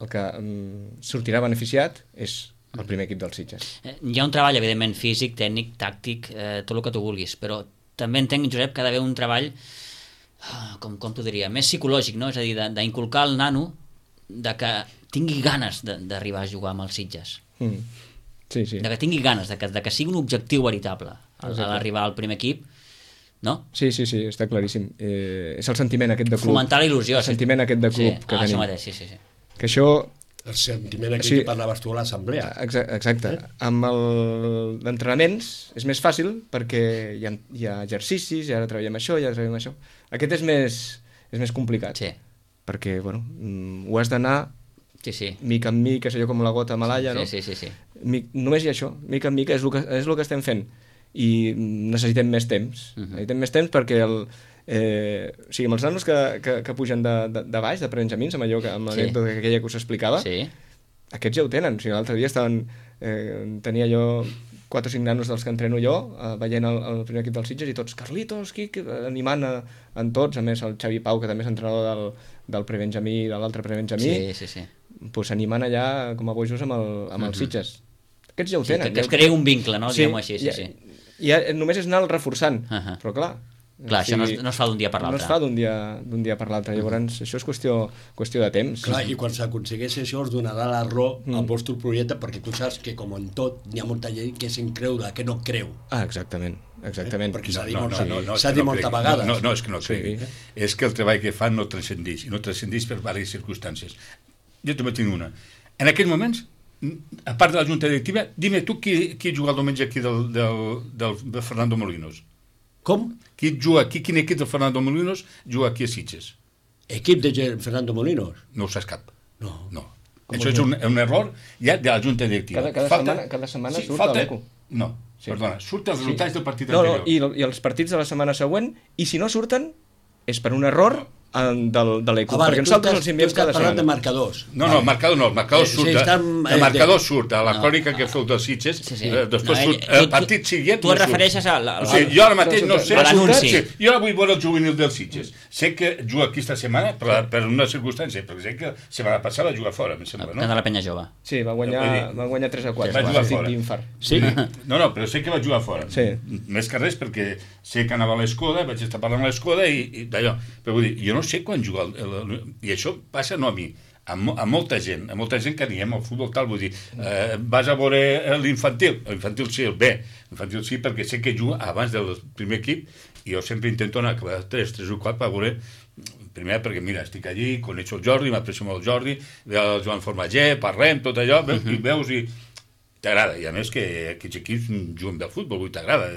el que mm, sortirà beneficiat és el primer equip dels Sitges. Eh, Hi ha un treball, evidentment, físic, tècnic, tàctic, eh, tot el que tu vulguis, però també entenc, Josep, que ha d'haver un treball, ah, com, com t'ho diria, més psicològic, no? És a dir, de- d'inculcar al nano de que tingui ganes de- d'arribar a jugar amb els Sitges. Mm. Sí, sí. De que tingui ganes, de que, de que sigui un objectiu veritable a Exacte. l'arribar al primer equip, no? Sí, sí, sí, està claríssim. Eh, és el sentiment aquest de club. Fomentar la il·lusió. El sentiment aquest de club sí, que ah, tenim. Això mateix, sí, sí, sí. Que això... El sentiment aquí Sí. que parlaves tu a l'assemblea. Exa- Exacte. Eh? Amb el d'entrenaments és més fàcil perquè hi ha, hi ha exercicis, i ara treballem això, i ara treballem això. Aquest és més, és més complicat. Sí, Perquè, bueno, mm, ho has d'anar sí, sí. mica en mica, és allò com la gota malaya, no? Sí, sí, sí, sí. Mi, només hi ha això, mica en mica, és el que, és el que estem fent. I mm, necessitem més temps. Mhm. Necessitem més temps perquè el, eh, o sigui, amb els nanos que, que, que pugen de, de, de baix, de prebenjamins, amb allò que, amb Sí. l'anècdota aquella que us explicava, Sí. aquests ja ho tenen. O sigui, l'altre dia estaven, eh, tenia jo quatre o cinc nanos dels que entreno jo, eh, veient el, el primer equip dels Sitges, i tots, Carlitos, Quic, animant a, en tots, a més el Xavi Pau, que també és entrenador del, del prebenjamí i de l'altre prebenjamí, Sí, sí, sí. pues, animant allà com a bojos amb, el, amb els Sitges. Aquests ja ho Sí, tenen. que, que ja es ho- creï un vincle, no? Sí, Diguem-ho així, sí, ja, sí. ja, només és anar-lo reforçant, Ahà. però clar... Clar, això no es, no es fa d'un dia per No es l'altre. fa d'un dia, d'un dia per l'altre, llavors això és qüestió, qüestió de temps. Clar, i quan s'aconsegueix això us donarà la raó Mm. al vostre projecte, perquè tu saps que, com en tot, n'hi ha molta gent que se'n creu, de que no creu. Ah, exactament, exactament. Eh? Perquè s'ha dit, No, no, molta, no, no, és s'ha que dit no moltes cregui. vegades. No, no, no, és que no Sí. cregui. És que el treball que fan no transcendeix, i no transcendeix per diverses circumstàncies. Jo també tinc una. En aquests moments, a part de la junta directiva, dime tu qui, qui juga el diumenge aquí del, del, del, del Fernando Molinos. Com? Qui juga aquí, quin equip del Fernando Molinos juga aquí a Sitges? Equip de Gen- Fernando Molinos? No ho saps cap. No. No. Això és un, un error ja de la junta directiva. Cada- cada setmana- cada setmana surt a l'Eco. No, Sí. perdona, surt els resultats del partit No, no, anterior. i, i els partits de la setmana següent, i si no surten, és per un error en, del, de l'Eco, Ah, vale, perquè tu nosaltres estàs- els enviem tu estàs cada parlant setmana. de marcadors. No, no, el marcador no, el marcador Eh, sí, surt, de, estan, eh, el marcador de- surt a la No. crònica que feu dels Sitges, Sí, sí. eh, després No, surt, ell- el tu- partit siguient tu no et surt. refereixes a la- O sigui, jo ara mateix no sé... a l'anunci. Sí, jo ara vull veure el juvenil dels Sitges. Sé que juga aquí esta setmana per, per una circumstància, perquè sé que la setmana passada va jugar fora, em sembla, Que no? de la penya jove. Sí, va Vull guanyar, dir, va guanyar tres a quatre. va jugar partit fora. d'infart. Sí. No, no, però sé que va jugar fora. Sí. Més que res perquè sé que anava a l'Escoda, vaig estar parlant a l'Escoda i, i d'allò. Però vull dir, jo no sé quan juga el, el, el, i això passa no a mi, a, mo a molta gent, a molta gent que aniem al futbol tal, vull dir, eh, vas a veure l'infantil, l'infantil sí, el B, l'infantil sí, perquè sé que juga abans del primer equip, i jo sempre intento anar a acabar tres, tres o quatre per veure, primer perquè, mira, estic allí, coneixo el Jordi, m'aprecio molt el Jordi, el Joan Formager, parlem, tot allò, veus, uh -huh. i veus i t'agrada, i a més que aquests equips juguen del futbol, vull t'agrada,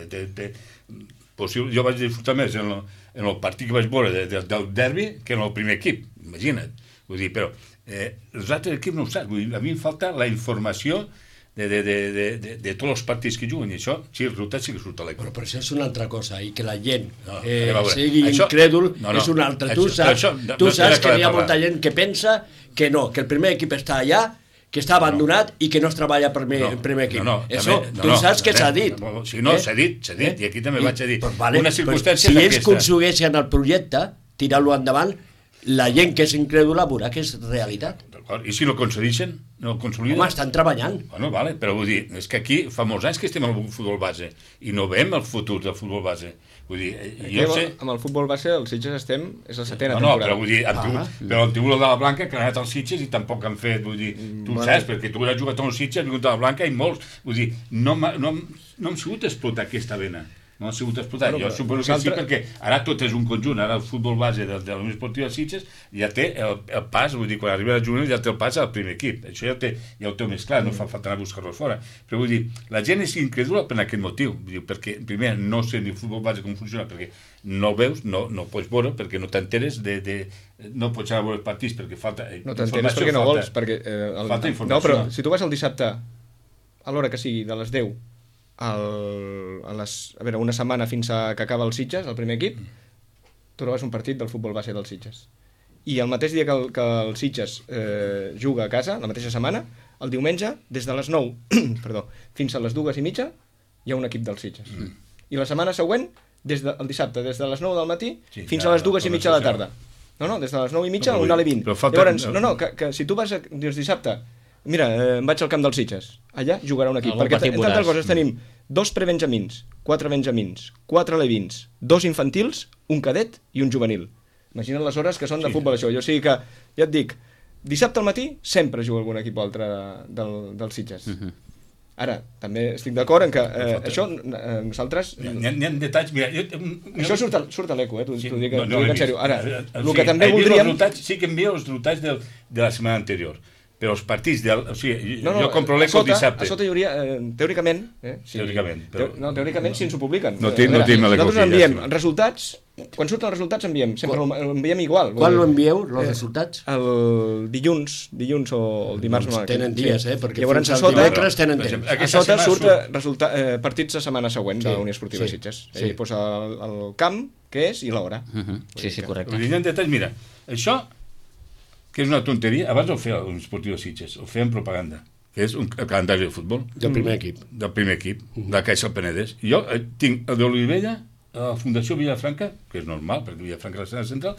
possible, jo vaig disfrutar més en el, en el partit que vaig veure de, de, del derbi que en el primer equip, imagina't, vull dir, però eh, els altres equips no ho saps, vull dir, a mi em falta la informació de, de, de, de, de, de tots els partits que juguen, i això, sí, el resultat sí que surt a l'equip. Però, però això és una altra cosa, i que la gent no, eh, veure, sigui això, incrèdul no, no, és una altra. això, Tu saps, això, no, tu no saps que hi ha parlar. molta gent que pensa que no, que el primer equip està allà, que està abandonat no. i que no es treballa per no, el primer equip. No, no, Això, també, no, tu saps no, que s'ha dit. Si no, s'ha dit, s'ha dit, eh? I aquí també I, vaig a dir. Pues vale, una circumstància pues, si ells aconsegueixen el projecte, tirar-lo endavant, la gent que és incrèdula veurà que és realitat. I si no concedeixen? No el consoliden? Home, estan treballant. Bueno, vale, però vull dir, és que aquí fa molts anys que estem al futbol base i no veiem el futur del futbol base. Vull dir, jo sé... Amb el futbol base, els Sitges estem, és la setena no, temporada. No, però vull dir, ah. tu, però el Tiburó de la Blanca que ha anat als Sitges i tampoc han fet, vull dir, tu bueno. saps, perquè tu has jugat als Sitges, has vingut a la Blanca i molts, vull dir, no, no, no hem sigut explotar aquesta vena. No ha sigut explotat. Bueno, jo suposo que sí, perquè ara tot és un conjunt. Ara el futbol base de, de la Unió Esportiva Sitges ja té el, el pas, vull dir, quan arriba a juvenil ja té el pas al primer equip. Això ja ho té, ja ho té més clar, no fa falta anar a buscar-lo fora. Però vull dir, la gent és incrèdula per aquest motiu. Vull dir, perquè, primer, no sé ni el futbol base com funciona, perquè no el veus, no, no el pots veure, perquè no t'enteres de, de... No pots anar a veure els partits perquè falta... No t'enteres perquè no vols, perquè... Eh, el, falta informació. No, però si tu vas el dissabte, a l'hora que sigui, de les deu, El, a, les, a veure, una setmana fins a que acaba el Sitges, el primer equip, tu trobes un partit del futbol base del Sitges. I el mateix dia que el, que el Sitges eh, juga a casa, la mateixa setmana, el diumenge, des de les nou perdó, fins a les dues i mitja, hi ha un equip del Sitges. Mm. I la setmana següent, des de, el dissabte, des de les nou del matí sí, fins ja, a les dues i mitja de la tarda. No, no, des de les nou i mitja a una hora i vint. Llavors, no, no, que, que si tu vas a, dius dissabte, mira, eh, em vaig al camp dels Sitges, allà jugarà un equip, algun perquè entre altres coses tenim dos prebenjamins, quatre benjamins, quatre alevins, dos infantils, un cadet i un juvenil. Imagina't les hores que són de sí. futbol això. Jo sí que, ja et dic, dissabte al matí sempre juga algun equip altre del, dels Sitges. Uh -huh. Ara, també estic d'acord en que eh, això, eh, nosaltres... N'hi ha, ha detalls... Mira, jo, això surt a, surt a l'eco, eh? T'ho sí, dic, no, no, dic en sèrio. Ara, el sí, que també voldríem... Sí que envio els resultats del, de la setmana anterior. Però els partits, del, o sigui, no, no, jo compro l'eco el dissabte. A sota hi hauria, eh, teòricament... Eh, sí, teòricament. Però... No, teòricament si ens ho publiquen. No tinc no l'eco. Nosaltres enviem ja, sí. resultats, quan surten els resultats enviem, sempre quan, ho enviem igual. Quan ho envieu, els eh, resultats? El dilluns, dilluns o el dimarts. Doncs tenen dies, eh? Perquè llavors a sota, tenen temps. A sota surt resulta, eh, partits la setmana següent sí, de la Unió Esportiva sí, Sitges. Sí. Ell posa el, el camp, que és, i l'hora. Uh -huh. Sí, sí, correcte. Hi ha detalls, mira, això... que és una tonteria, abans ho feia l'Unió Esportiva Sitges, ho feien propaganda, que és un, el calendari de futbol. Del primer equip. Del primer equip, uh -huh. de la Caixa del Penedès. I jo eh, tinc el d'Olivella, la Fundació Villafranca, que és normal, perquè Villafranca és la central,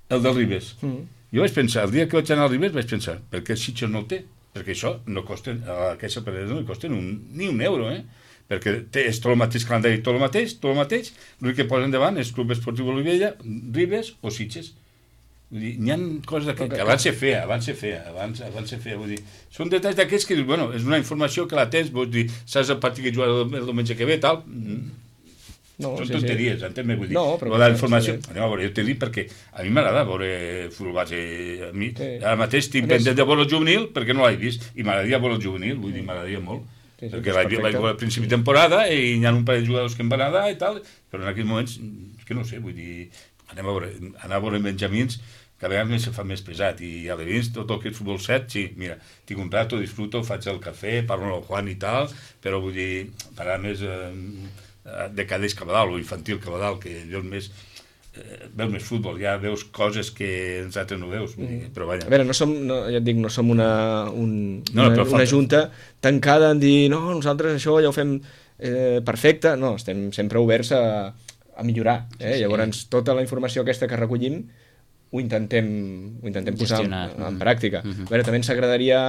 el del Ribes. Uh -huh. Jo vaig pensar, el dia que vaig anar al Ribes vaig pensar, per què Sitges no el té? Perquè això no costa, a la Caixa del Penedès no li costen un, ni un euro, eh? Perquè té, és tot el mateix calendari, tot el mateix, tot el mateix, l'únic que posen davant és Club Esportiu Olivella, Ribes o Sitges. Vull dir, n'hi ha coses que, que abans se feia, abans se feia, abans, abans se feia, vull dir, són detalls d'aquests que dius, bueno, és una informació que la tens, vols dir, saps el partit que jugarà el, el diumenge que ve, tal, no, són sí, tonteries, sí. Entens-me, vull dir, no, però la informació, sí. Anem a veure, jo t'he dit perquè a mi m'agrada veure futbol base, a mi, sí. Ara mateix estic pendent de veure el juvenil perquè no l'he vist, i m'agradaria veure el juvenil, vull dir, m'agradaria molt, sí, sí, perquè l'he veure al principi de temporada i hi ha un parell de jugadors que em van agradar i tal, però en aquells moments, és que no sé, vull dir, anem a veure, anar a veure benjamins, cada vegada se fa més pesat, i a l'Evins tot el que és futbol set, sí, mira, tinc un rato, disfruto, faig el cafè, parlo amb el Juan i tal, però vull dir, parar més eh, de cadets cap a dalt, o infantil cap a dalt, que veus més, eh, veus més futbol, ja veus coses que els altres no veus, vull dir, però vaja. A veure, no som, no, ja et dic, no som una, un, no, una, una junta tancada en dir, no, nosaltres això ja ho fem eh, perfecte, no, estem sempre oberts a, a millorar, eh? Sí, sí. Llavors tota la informació aquesta que recollim ho intentem, ho intentem posar en, en pràctica. Mm-hmm. A veure, també ens agradaria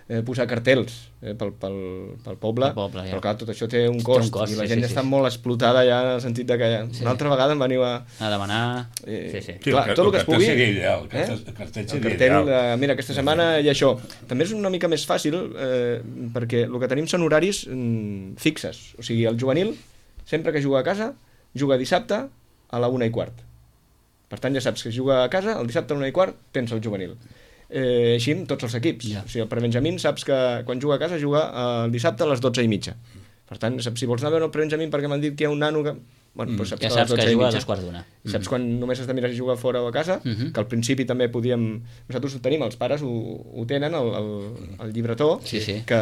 eh, posar cartells eh, pel, pel, pel poble, poble ja. però clar, tot això té un cost, un cost i la sí, gent sí, està sí. molt explotada ja en el sentit de que sí. una altra vegada em veniu a... A demanar... Eh, sí, sí. Clar, Sí, tot el que es pugui... seria ideal, el eh? cartell, el cartell el seria cartell, ideal. de, mira, aquesta setmana hi ha això. També és una mica més fàcil eh, perquè el que tenim són horaris mm, fixes. O sigui, el juvenil, sempre que juga a casa, juga dissabte a la una i quart. Per tant, ja saps que juga a casa, el dissabte a la una i quart tens el juvenil. Eh, així amb tots els equips. Ja. O sigui, el prebenjamín saps que quan juga a casa juga el dissabte a les dotze i mitja. Per tant, saps, si vols anar a veure el prebenjamín perquè m'han dit que hi ha un nano que... Bueno, doncs saps ja que saps que juga a dos quarts d'una. I saps quan només has de mirar si juga fora o a casa, Mhm. que al principi també podíem... Nosaltres ho tenim, els pares ho, ho tenen, el, el, el llibretó, Sí, sí. Que,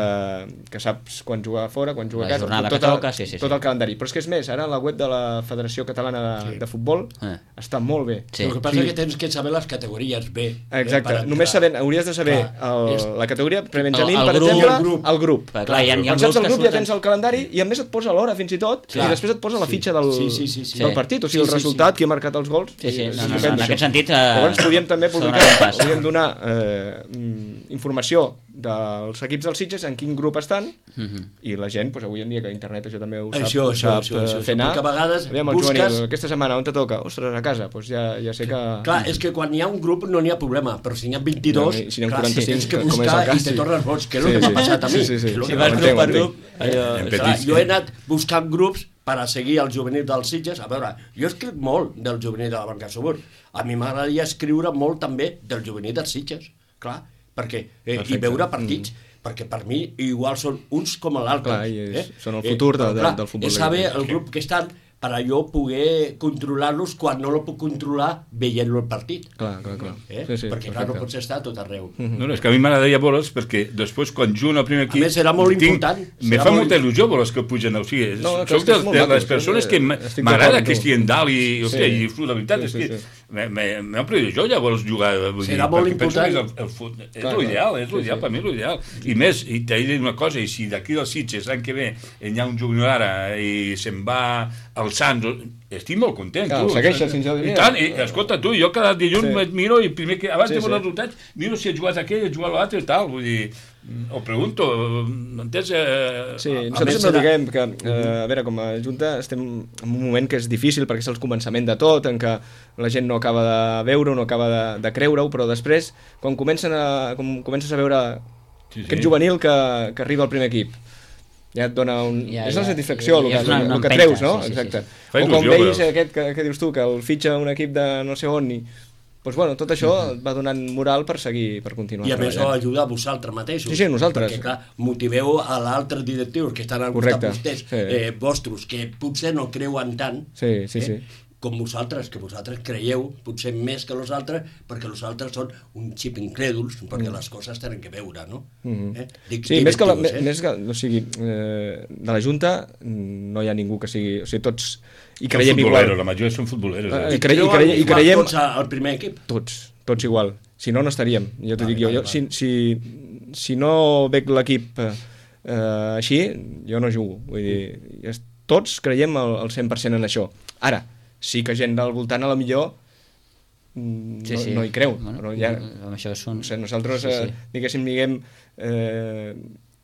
que saps quan juga fora, quan juga La a casa, jornada tot, que toca, sí, sí, tot sí. el calendari. Però és que és més, ara la web de la Federació Catalana de, Sí. de Futbol Eh. està molt bé. Sí. El que passa Sí. és que tens que saber les categories B. Exacte, eh, per només entrar. sabent, hauries de saber Clar, el, és- la categoria prebenjamín, El- el per grup. exemple, El grup. el grup. Clar, clar, hi ha, hi ha Quan grups saps el que grup ja surten... tens el calendari i a més et posa l'hora fins i tot Clar. i després et posa la fitxa del, Sí, sí, sí, sí. del Sí. partit, o sigui, el Sí, sí, resultat, qui ha marcat els gols. Sí, sí, és no, no, no, estupend, en això. aquest sentit... Eh, Llavors podríem també s'ha publicar, donat un pas. podríem donar eh, mm, informació dels equips dels Sitges, en quin grup estan, Mhm. i la gent, doncs, avui en dia que internet això també ho sap, Això, ho això, sap això, eh, això, fer anar. perquè a vegades Aviam, el busques- juvenil, aquesta setmana on te toca? Ostres, a casa, doncs ja, ja sé que... Clar, és que quan hi ha un grup no n'hi ha problema, però si n'hi ha vint-i-dos, No, i si n'hi ha clar, quaranta-cinc, tens que com és el buscar cas, i te sí. tornes boig, que és Sí, el que sí. m'ha passat a mi. Sí, sí, sí. que és el Si que vas m'ha grup passat. per grup... Allò... En Clar, petits, jo he eh? anat buscant grups per a seguir el juvenil dels Sitges. A veure, jo escric molt del juvenil de la Banca Subur. A mi m'agradaria escriure molt també del juvenil dels Sitges, clar, perquè, eh, i Perfecte. veure partits, mm. perquè per mi igual són uns com l'altre. Clar, i és- són el futur de- però, de- clar, del futbol És saber europeu. el grup que estan per a jo poder controlar-los quan no lo puc controlar veient-lo el partit. Clar, clar, clar. Eh? Sí, sí, perquè clar, no perfecte. pots estar a tot arreu. No, no, és que a mi m'agradaria veure'ls perquè després quan juguen al primer equip... més, serà molt important, Me serà fa molt molta il·lusió veure'ls que pugen. O sigui, No, no, que és soc que de, és molt de maco, les sí, persones que estic d'acord m'agrada amb que tu. estiguin dalt i, Sí. hòstia, i disfruto. La veritat Sí, és sí, que sí. m'he omplert jo llavors jugar. Vull dir, Serà molt perquè penso que és important. el, el fut, és Clar, l'ideal, clar. és l'ideal, Sí, sí. per mi és l'ideal. I més, i t'he de dir una cosa, i si d'aquí dels Sitges l'any que ve hi ha un jugador ara i se'n va al Sants, estic molt content. Clar, tu, segueixes saps? fins al dia. I tant, i escolta tu, jo cada dilluns Sí. sí. miro i primer que, abans Sí, de veure sí. els resultats, miro si ha jugat aquell, ha jugat l'altre i tal, vull dir, o pregunto, m'entens? Eh, Sí, A- a nosaltres més sempre serà- diguem que, eh, a veure, com a Junta estem en un moment que és difícil perquè és el començament de tot, en què la gent no acaba de veure-ho, no acaba de, de creure-ho, però després, quan, comencen a, quan comences a veure Sí, sí. aquest juvenil que, que arriba al primer equip, ja et dona un... Ja, és ja, la satisfacció, ja, el, ja que, és una- una el que empenta, treus, no? sí, sí, sí. Exacte. Fa O quan il·lusió, veus però- aquest que, que dius tu, que el fitxa un equip de no sé on i... Doncs bueno, tot això et va donant moral per seguir, per continuar I a més ho treballant. ajuda a vosaltres mateixos. Sí, sí, nosaltres. Perquè, clar, motiveu a l'altres directius que estan al Correcte, costat vostès, sí. eh, vostres, que potser no creuen tant, Sí, sí, eh, sí. com vosaltres, que vosaltres creieu potser més que els altres, perquè els altres són un xip incrèduls, perquè les coses tenen que veure, no? Mhm. Eh? Dic Sí, més que, la, directius, més que, o sigui, eh, de la Junta mm, no hi ha ningú que sigui, o sigui, tots hi Són creiem futboleros, igual. la majoria són futboleros. Eh, Eh? i cre- i Creuen cre- i igual creiem- tots a- al primer equip. Tots, tots igual. Si no, no estaríem. Ja t'ho Vale, dic jo. vale, jo si, si, si no veig l'equip eh, eh, així, jo no jugo. Vull dir, es- tots creiem el, el cent per cent en això. Ara, sí que gent del voltant a la millor mm, Sí, no, sí. no hi creu. Bueno, però ja, amb això són... no sé, nosaltres, Sí, sí. eh, diguéssim, diguem, eh,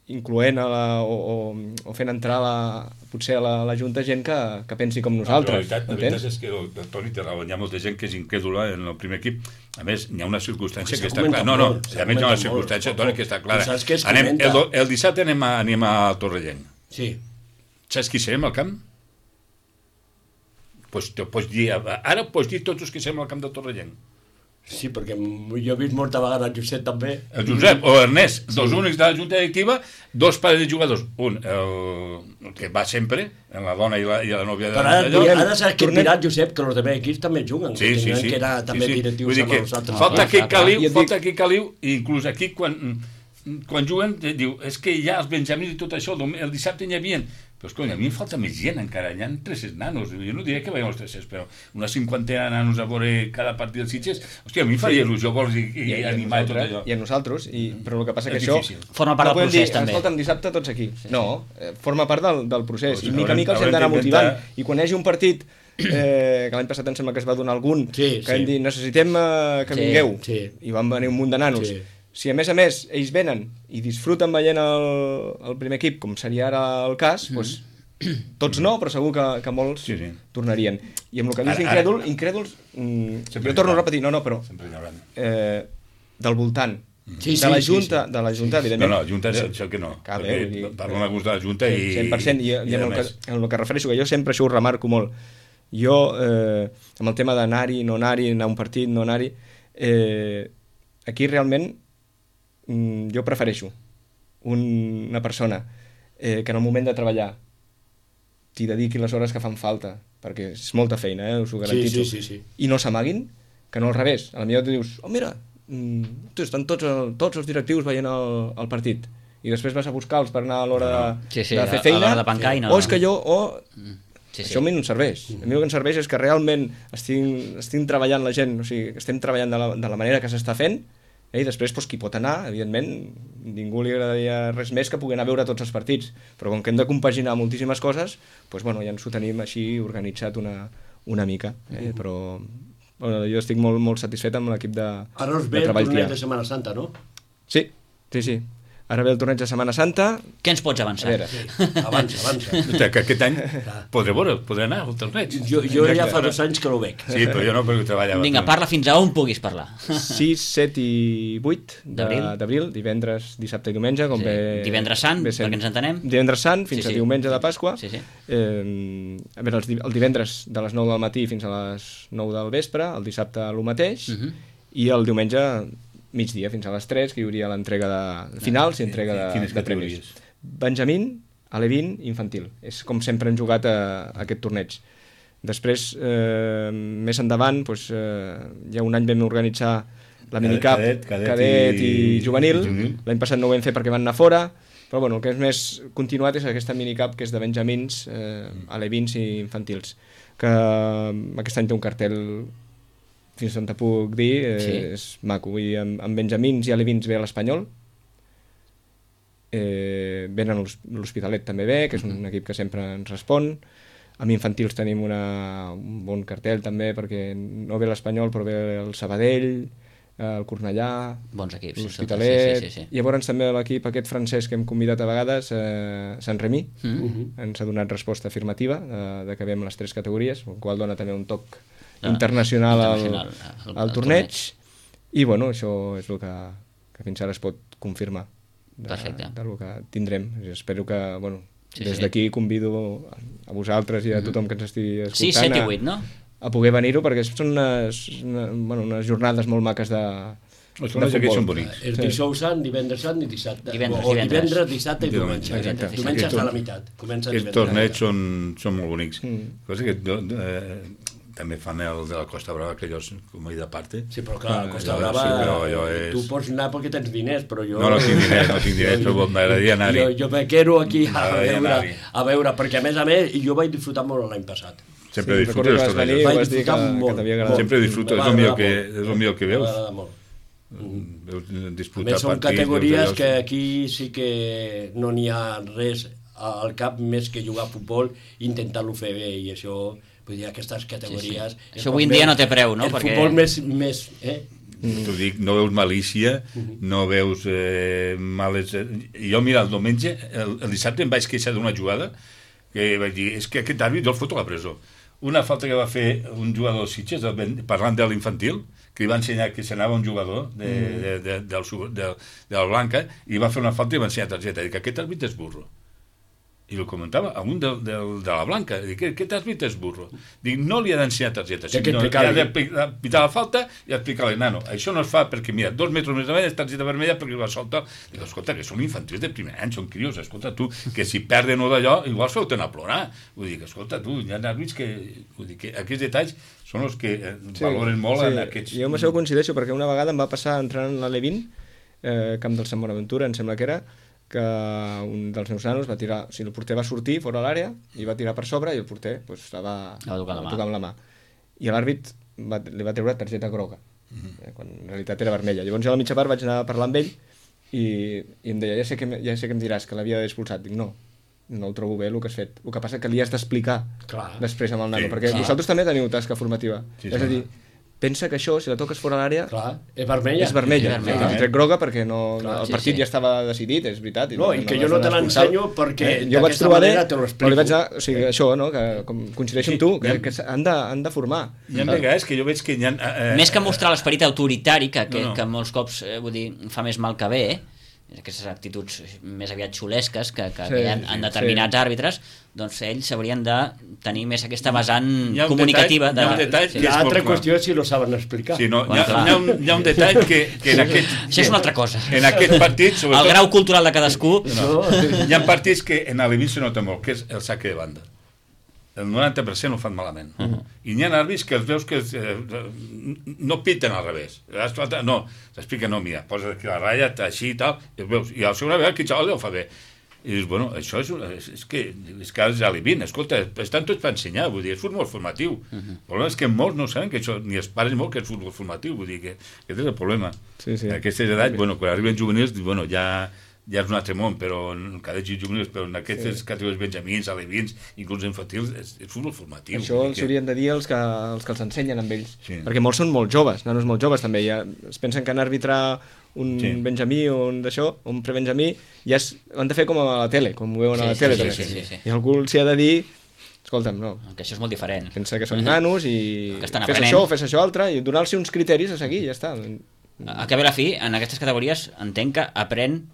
incloent a la, o, o, o fent entrar la, potser a la, a la Junta gent que, que pensi com La nosaltres. veritat, la veritat entens? és que el, el Toni té raó, hi ha molta gent que és incrèdula en el primer equip. A més, hi ha una circumstància S'ha que està comentat clara. No, no, molt, s'ha a més hi ha una comentat circumstància, molt. Toni, que està clara. Però saps què es Anem, comenta? el, el dissabte anem a, anem a Torrellent. Sí. Saps qui serem al camp? Pues, te pots dir, ara pots dir tots els que serem al camp de Torrellent. Sí, perquè jo he vist molta vegada el Josep també. El Josep o Ernest, dos únics de la Junta Directiva, dos pares de jugadors. Un, el, el que va sempre, en la dona i la, i la nòvia de Però ara, d'allò. ara saps que tornem- dirà Josep que els demés equips també juguen, Sí, que sí, tenen sí. que era també sí, sí. directius Vull dir amb que els altres. falta clar, aquí clar, clar. caliu, I et falta dic- aquí caliu, i inclús aquí quan, quan juguen, eh, diu, és que ja els Benjamins i tot això, el dom- el dissabte n'hi havia Però, escolta, a mi em falta més gent encara. Hi ha tres-cents nanos. Jo no diré que veiem els tres-cents, però una cinquantena de nanos a veure cada partit dels Sitges. Hòstia, a mi em faria il·lusió vols i, i, i animar i tot allò. I a nosaltres, i, però el que passa És que això... difícil. Forma part no del procés, dir, també. Escolta'm, dissabte tots aquí. Sí, sí. No, eh, forma part del, del procés. Pues I mica a haurem- mica els hem haurem d'anar d'intentar- motivant. I quan hi hagi un partit, eh, que l'any passat em sembla que es va donar algun, Sí, que sí. hem dit, necessitem eh, que Sí, vingueu. sí. I van venir un munt de nanos. Sí. Si a més a més ells venen i disfruten veient el, el primer equip, com seria ara el cas, mm. doncs, tots no, però segur que, que molts Sí, sí. tornarien. I amb el que dius Ara- d'incrèdul, ara- incrèduls, mm, Sempre jo torno a hi haurà. repetir, no, no, però Sempre hi haurà. eh, del voltant, Sí, de sí, la sí, Junta, sí. de la Junta, No, evidentment. no, Junta és això que no. Clar, perquè bé, vull dir, parlo amb gust de la Junta i... cent per cent, i, i, i amb, a el que, més- amb el que refereixo, que jo sempre això ho remarco molt. Jo, eh, amb el tema d'anar-hi, no anar-hi, anar a un partit, no anar-hi, eh, aquí realment mm, jo prefereixo un, una persona eh, que en el moment de treballar t'hi dediqui les hores que fan falta, perquè és molta feina, eh, us ho garantitzo, sí, sí, sí. i no s'amaguin, que no al revés. A la millor tu dius, oh mira, mm, tu, estan tots, el, tots els directius veient el, el partit, i després vas a buscar-los per anar a l'hora de, Sí, sí, de a- fer a feina, l'hora de pencar i no- o és que jo, o... Sí, sí. Això a mi no em serveix. A mi el que em serveix és que realment estic, estic treballant la gent, o sigui, que estem treballant de la, de la manera que s'està fent, eh, i després doncs, qui pot anar, evidentment, ningú li agradaria res més que poder anar a veure tots els partits, però com que hem de compaginar moltíssimes coses, doncs, bueno, ja ens ho tenim així organitzat una, una mica, eh, però bueno, jo estic molt, molt satisfet amb l'equip de, Ara us de ve el treball que hi torneig ha. de Setmana Santa, no? Sí, sí, sí. Ara ve el torneig de Setmana Santa. Què ens pots A avançar? veure, Avança, avança. Hòstia, que aquest any podré veure, podré anar al torneig. Jo, jo ja fa dos anys que no ho veig. Sí, però jo no, perquè treballava. Vinga, parla fins a on puguis parlar. sis, set i vuit D'abril. de- d'abril, divendres, dissabte i diumenge, com Sí. bé... Divendres Sant, bé sent. perquè ens entenem. Divendres Sant fins Sí, sí. a diumenge de Pasqua. Sí, sí. Eh, a veure, els di- el divendres de les nou del matí fins a les nou del vespre, el dissabte el mateix, Mhm. i el diumenge migdia fins a les tres, que hi hauria l'entrega de finals i entrega de, Quines de premis. categories? Benjamín, Alevín i infantil. És com sempre hem jugat a, a aquest torneig. Després, eh, més endavant, doncs, eh, ja un any vam organitzar la minicap Cadet, cadet cadet i, i- i juvenil. i juvenil. L'any passat no ho vam fer perquè van anar fora, però bueno, el que és més continuat és aquesta minicap que és de benjamins, eh, alevins i infantils, que eh, aquest any té un cartel fins on te puc dir, eh, Sí. és maco. Vull dir, amb, amb benjamins i alevins ve a l'Espanyol, eh, venen l'Hos- l'Hospitalet també ve, que és un equip que sempre ens respon. Amb infantils tenim una, un bon cartell també, perquè no ve l'Espanyol però ve el Sabadell, el Cornellà, Bons equips. sí, l'Hospitalet, Sí, sí, sí. i llavors també l'equip aquest francès que hem convidat a vegades, eh, Sant Remi, Mm. ens ha donat resposta afirmativa de, de que vem les tres categories, el qual dona també un toc Ah, internacional, internacional, al, al- al al torneig. I bueno, això és el que, que fins ara es pot confirmar de, Perfecte. del que tindrem. I espero que, bueno, Sí, des sí. d'aquí convido a vosaltres i a tothom que ens estigui escoltant Sí, set i a- vuit, no? a poder venir-ho, perquè són unes, una, bueno, unes jornades molt maques de, Els torneigs aquests són bonics. És dijous sant, divendres sant i dissabte. Divendres, o divendres. divendres, dissabte i Diumenge. diumenge. Exacte. Diumenge Aquest està a la torn- meitat. Comença Aquests divendres. torneigs són, són molt bonics. Mm. Cosa que eh, també fan el de la Costa Brava, que allò és com a de parte. Sí, però clar, a Costa allò- Brava, sí, però allò és- tu pots anar perquè tens diners, però jo... No, no tinc diners, no tinc diners, però m'agradaria anar-hi. Jo, jo me quedo aquí a M'agradaria veure, anar-hi. a veure, perquè a més a més, jo vaig disfrutar molt l'any passat. Sempre Sí, disfruto recordo dels que vas venir. tornejos. Vaig vas dir disfrutar que- que molt. t'havia agradat. molt. Sempre disfruto, Me és va el millor agradar que- molt. és el millor que Me veus. va agradar molt. Veus A disputar més, són partits, categories veus allò- que aquí sí que no n'hi ha res al cap més que jugar a futbol i intentar-lo fer bé, i això, vull dir, aquestes categories... Sí, sí. és Això com avui en dia més- no té preu, no? El Perquè- futbol més... més eh? T'ho dic, no veus malícia, no veus eh, males... Eh, jo, mira, el diumenge, el, el dissabte em vaig queixar d'una jugada que vaig dir, és que aquest àrbit jo el foto a la presó. Una falta que va fer un jugador de Sitges, el Ben- parlant de l'infantil, que li va ensenyar que s'anava un jugador de, de, de, del, Su- de, de la Blanca, i va fer una falta i va ensenyar targeta. Dic, aquest àrbit és burro. I el comentava a un de, de, de la Blanca. Dic, aquest àrbit és burro. Dic, no li ha d'ensenyar targeta, Té que sinó li explicar-li. ha de pi- de pitar la falta i explicar-li, nano, això no es fa perquè, mira, dos metres més avall és targeta vermella perquè va soltar. Dic, escolta, que són infantils de primer any, són crios, escolta, tu, que si perden o d'allò, igual feu-te'n a plorar. Vull dir que, escolta, tu, hi ha àrbits que, vull dir, que aquests detalls són els que eh, valoren molt en aquests... Jo amb això ho coincideixo, perquè una vegada em va passar entrant a l'Alevin, eh, camp del Sant Bonaventura, em sembla que era, que un dels meus nanos va tirar, o sigui, el porter va sortir fora a l'àrea i va tirar per sobre i el porter pues, estava va tocar la mà. amb la mà. I l'àrbit va, li va treure targeta groga, mm-hmm. eh, quan en realitat era vermella. Llavors jo a la mitja part vaig anar a parlar amb ell i, i em deia, ja sé, que, ja sé que em diràs que l'havia expulsat. Dic, no, no ho trobo bé el que has fet. El que passa que li has d'explicar després amb el nano, sí, perquè clar. Vosaltres també teniu tasca formativa. Sí, és a dir, pensa que això, si la toques fora l'àrea, és vermella. És vermella. Sí, vermella. I tret groga perquè no, clar, el sí, partit sí. ja estava decidit, és veritat. I no, no, i que no jo no te l'ensenyo perquè eh, jo vaig trobar manera te l'explico. Però li vaig anar, o sigui, això, no, que com coincideixo sí, amb tu, que, ha, que han, de, han de formar. Hi ha vegades que jo veig que hi ha... Eh, Més que mostrar l'esperit autoritari, que, que, no, no. que molts cops eh, vull dir, fa més mal que bé, eh? Aquestes actituds més aviat xulesques que, que, sí, que hi ha en determinats sí. àrbitres, doncs ells haurien de tenir més aquesta vessant comunicativa. Detall, de... Hi ha un detall sí. que és L'altra molt qüestió és si lo saben explicar. Sí, no, bueno, hi, ha, hi, ha un, hi ha un detall que, que en aquest... Això és una altra cosa. En aquest partit, sobretot... El grau cultural de cadascú... No. Hi ha partits que en l'Alevin se nota molt, que és el saque de banda. El noranta per cent ho fan malament. Uh -huh. I n'hi ha àrbits que els veus que eh, no piten al revés. No, t'explica, no, mira, poses aquí la ratlla, així i tal, i els veus. I a la segona vegada, que xaval ho fa bé. I dius, bueno, això és, és, és que és que els alevin, escolta, estan tots per ensenyar, vull dir, és futbol formatiu. Uh -huh. El problema és que molts no saben que això, ni els pares molt que és futbol formatiu, vull dir que aquest és el problema. Sí, sí. En aquestes edats, bueno, quan arriben juvenils, bueno, ja... ja és un altre món, però en cadets i juvenils, però en aquestes sí. categories benjamins, alevins, inclús infantils, és, és futbol formatiu. Això els que... haurien de dir els que, els que els ensenyen amb ells, sí. perquè molts són molt joves, nanos molt joves també, ja es pensen que han d'arbitrar un sí. benjamí o un d'això, un prebenjamí, ja es, ho han de fer com a la tele, com ho veuen sí, a la tele sí, també. Sí, sí, sí. I algú els hi ha de dir, escolta'm, no. Que això és molt diferent. Pensa que són nanos i que estan fes aprenent. això, fes això altre, i donar-los uns criteris a seguir, ja està. A que ve la fi, en aquestes categories entenc que aprèn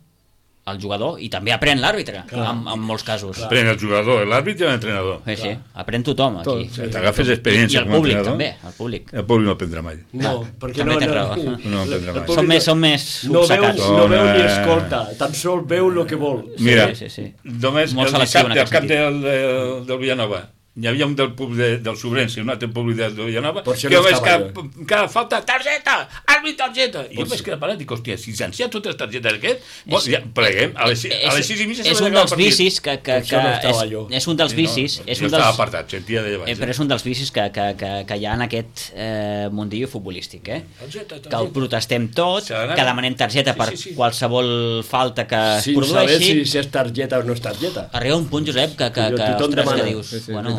el jugador i també aprèn l'àrbitre en, en molts casos. Clar. Aprèn el jugador, l'àrbitre i l'entrenador. Sí, sí, aprèn tothom aquí. Tot, sí. T'agafes experiència I, i com el públic entrenador. també, el públic. El públic no aprendrà mai. No, perquè també no, tens no, raó. no, no aprendrà mai. Són més, són més no veu, obcecats. no veu ni escolta, tan sols veu el que vol. Mira, sí, sí, sí. només Molt el selectiu en dissabte al aquest camp sentit. del, del, del Villanova hi havia un del públic de, del Sobrense i un altre públic del de Villanova que jo no veig estava que cada falta, targeta, àrbit, targeta i jo vaig quedar parat i dic, hòstia, si s'han totes les targetes aquest, bon, ja, pleguem a les, a les sis i mitja és un dels vicis que, que, que no és, és un dels vicis sí, no, és jo un estava dels, apartat, sentia de baix, eh, però és un dels vicis que, que, que, que hi ha en aquest eh, mundillo futbolístic, eh? targeta, targeta. Que el protestem tot, que demanem targeta sí, per sí, sí. qualsevol falta que Sin es saber produeixi. si, si és targeta o no és targeta. Arriba un punt, Josep, que, que, que, Tothom ostres, demana. que dius... Sí, sí, bueno,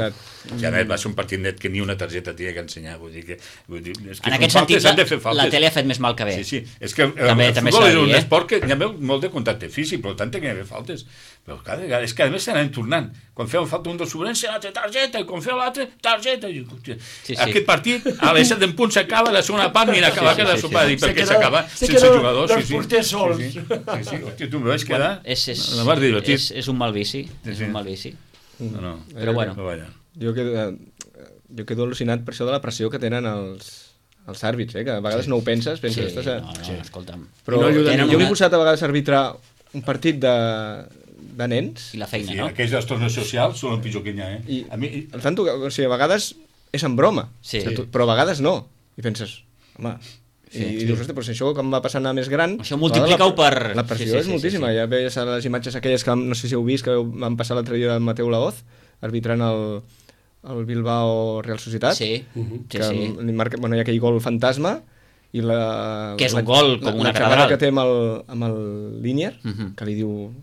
Ja, net, va ser un partit net que ni una targeta tenia que ensenyar, vull dir que... Vull dir, és que en aquest faltes, sentit, la, la tele ha fet més mal que bé. Sí, sí, és que el, També- el també futbol s'ha és de un dir, eh? esport que hi ha molt de contacte físic, per tant que hi ha faltes. Però cada vegada, és que a més s'anem tornant. Quan feu falta un del Sobrense, l'altre targeta, i quan feu l'altre, targeta. I, hòstia, Sí, sí. Aquest partit, a les set en punt s'acaba, la segona part, mira, acaba Sí, sí, que la sí, sopa, sí. i per Se què queda- s'acaba se sense queda jugadors. los Sí, sí. porters sols. Sí, sí, sí, sí. Hòstia, tu em vaig quedar... És, és, La mar divertit. és, és un mal vici, Sí, és sí. un mal vici. No, no. Però bueno. No, vaja. Jo quedo, eh, jo quedo al·lucinat per això de la pressió que tenen els, els àrbits, eh? Que a vegades no ho penses, penses... Sí, estàs a... no, no, escolta'm. Però I no ajuden jo una- m'he posat a vegades a arbitrar un partit de, de nens I la feina, Sí, no? aquells dels torneos socials són el pitjor que hi ha, eh? i A mi, el fan tocar, o sigui, a vegades és en broma, Sí. o sigui, tu- però a vegades no. I penses, home... Sí, I, sí. i dius, ostres, però si això com va passant a més gran... Això multiplica-ho la, per- La pressió sí, sí, és sí, moltíssima. sí, sí. Ja veies a les imatges aquelles que no sé si heu vist, que van passar l'altre dia del Mateu Laoz, arbitrant el, el Bilbao Real Societat. Sí, sí, que sí. li marca, bueno, hi ha aquell gol fantasma i la, Que és un la- gol com la, una la xerrada catedral. que té amb el, amb el Línier, Mhm. que li diu...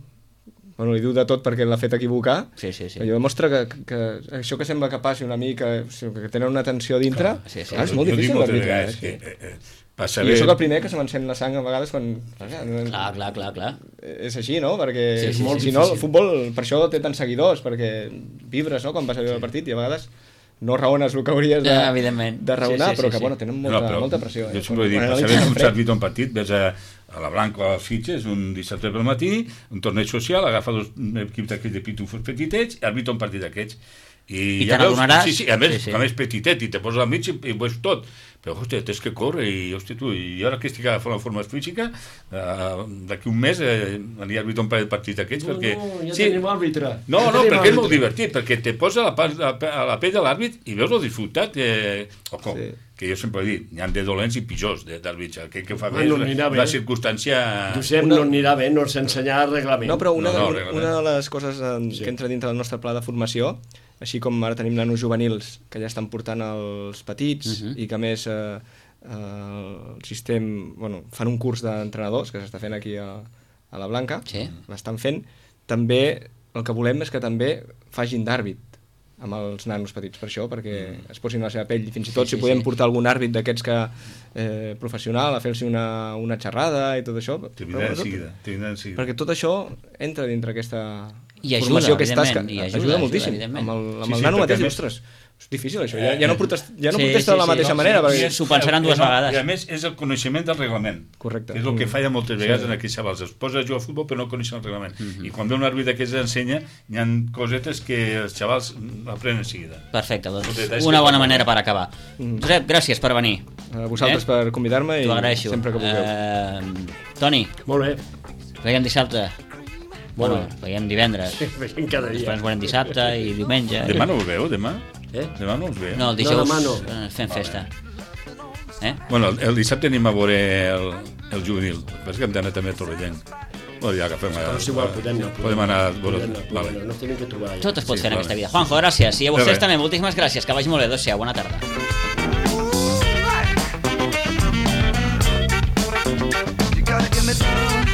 Bueno, li diu de tot perquè l'ha fet equivocar. Sí, sí, sí. Allò demostra que, que, que això que sembla que passi una mica, o sigui, que tenen una tensió dintre, sí, sí. clar, és molt jo dic difícil moltes d'arbitrar. vegades Eh? que, eh, eh, passa I bé... jo sóc el primer que se m'encén la sang a vegades quan... Clar, clar, clar, clar. És així, no? Perquè Sí, sí, molt sí, si no, sí. el futbol per això té tants seguidors, perquè vibres, no?, quan vas a veure el partit i a vegades no raones el que hauries de, Ja, evidentment. de raonar, Sí, sí, però sí, que, sí. bueno, tenen molta, No, però molta pressió. Jo eh? sempre he dit, Quan per analitzes saber en com fred- s'arbitra un partit, ves a, a la Blanca o a Fitges, un dissabte pel matí, un torneig social, agafa dos equips d'aquells de pitufos petitets i arbitra un partit d'aquests. I, I ja te n'adonaràs. Sí, sí, a més, Sí, sí. com és petitet i te poses al mig i, i ho veus tot. Però, hòstia, tens que córrer i, hòstia, tu, i ara que estic agafant la forma física, uh, d'aquí un mes eh, aniré a arbitrar un parell de partits d'aquests, No, perquè... no, ja sí. tenim àrbitre. No, Ja no, tenim perquè és molt àrbitre. divertit, perquè te posa a la, pa- a la, a la pell de l'àrbit i veus el disfrutat. Eh, o com, Sí. que jo sempre he dit, n'hi ha de dolents i pitjors d'àrbits. Aquell que fa bé Ah, no és anirà una bé. circumstància... Josep, Una- no anirà bé, no ens ensenyarà el reglament. No, però una, No, no, de, realment. una de les coses eh, Sí. que entra dintre del nostre pla de formació, així com ara tenim nanos juvenils que ja estan portant els petits Mhm. i que a més eh, eh, el sistema, bueno, fan un curs d'entrenadors que s'està fent aquí a, a la Blanca, Sí. l'estan fent, també el que volem és que també facin d'àrbit amb els nanos petits per això, perquè mm. es posin a la seva pell i fins i tot Sí, si sí, podem sí. portar algun àrbit d'aquests que eh, professional a fer-los una, una xerrada i tot això. Te vindrà de Però- seguida, te vindrà de seguida. perquè tot això entra dintre aquesta I ajuda, formació que és tasca. evidentment, i ajuda, ajuda ajuda, moltíssim. evidentment. Amb el, amb Sí, el sí, nano perquè mateix, a més- ostres, és difícil això, ja, ja no protesta, ja no Sí, protesta sí, de la sí, mateixa no, manera. sí, perquè... S'ho pensaran dues no, vegades. I a més és el coneixement del reglament. Correcte. Que és el que Mm. falla moltes vegades Sí. en aquells xavals. Es posa a jugar a futbol però no coneixen el reglament. Mhm. I quan ve un àrbit d'aquests ensenya, hi ha cosetes que els xavals aprenen de seguida. Perfecte, doncs Uns detalls una que bona fan manera molt per acabar. Mm. Josep, gràcies per venir. A vosaltres Eh? per convidar-me i T'ho agraeixo. sempre que vulgueu. Eh, Toni, Molt bé. veiem dissabte. Molt Bueno, veiem divendres. Veiem cada Després dia. ens veurem dissabte i diumenge. Demà no us veu, demà? Eh? Demà no us veu? No, el dijous demà no. eh, fem festa. Eh? Bueno, el, el dissabte anem a veure el, el juvenil. El que passa és que hem d'anar també a Torrellent. Bueno, ja agafem... Però és igual, podem anar. Podem anar a veure... Podem anar, podem Vale. anar, no tenim que trobar allà. Tot es pot Sí, fer en vale. aquesta vida. Juanjo, gràcies. I a De vostès res. també, moltíssimes gràcies. Que vagi molt bé. Adéu-siau. Bona tarda. You gotta give me some.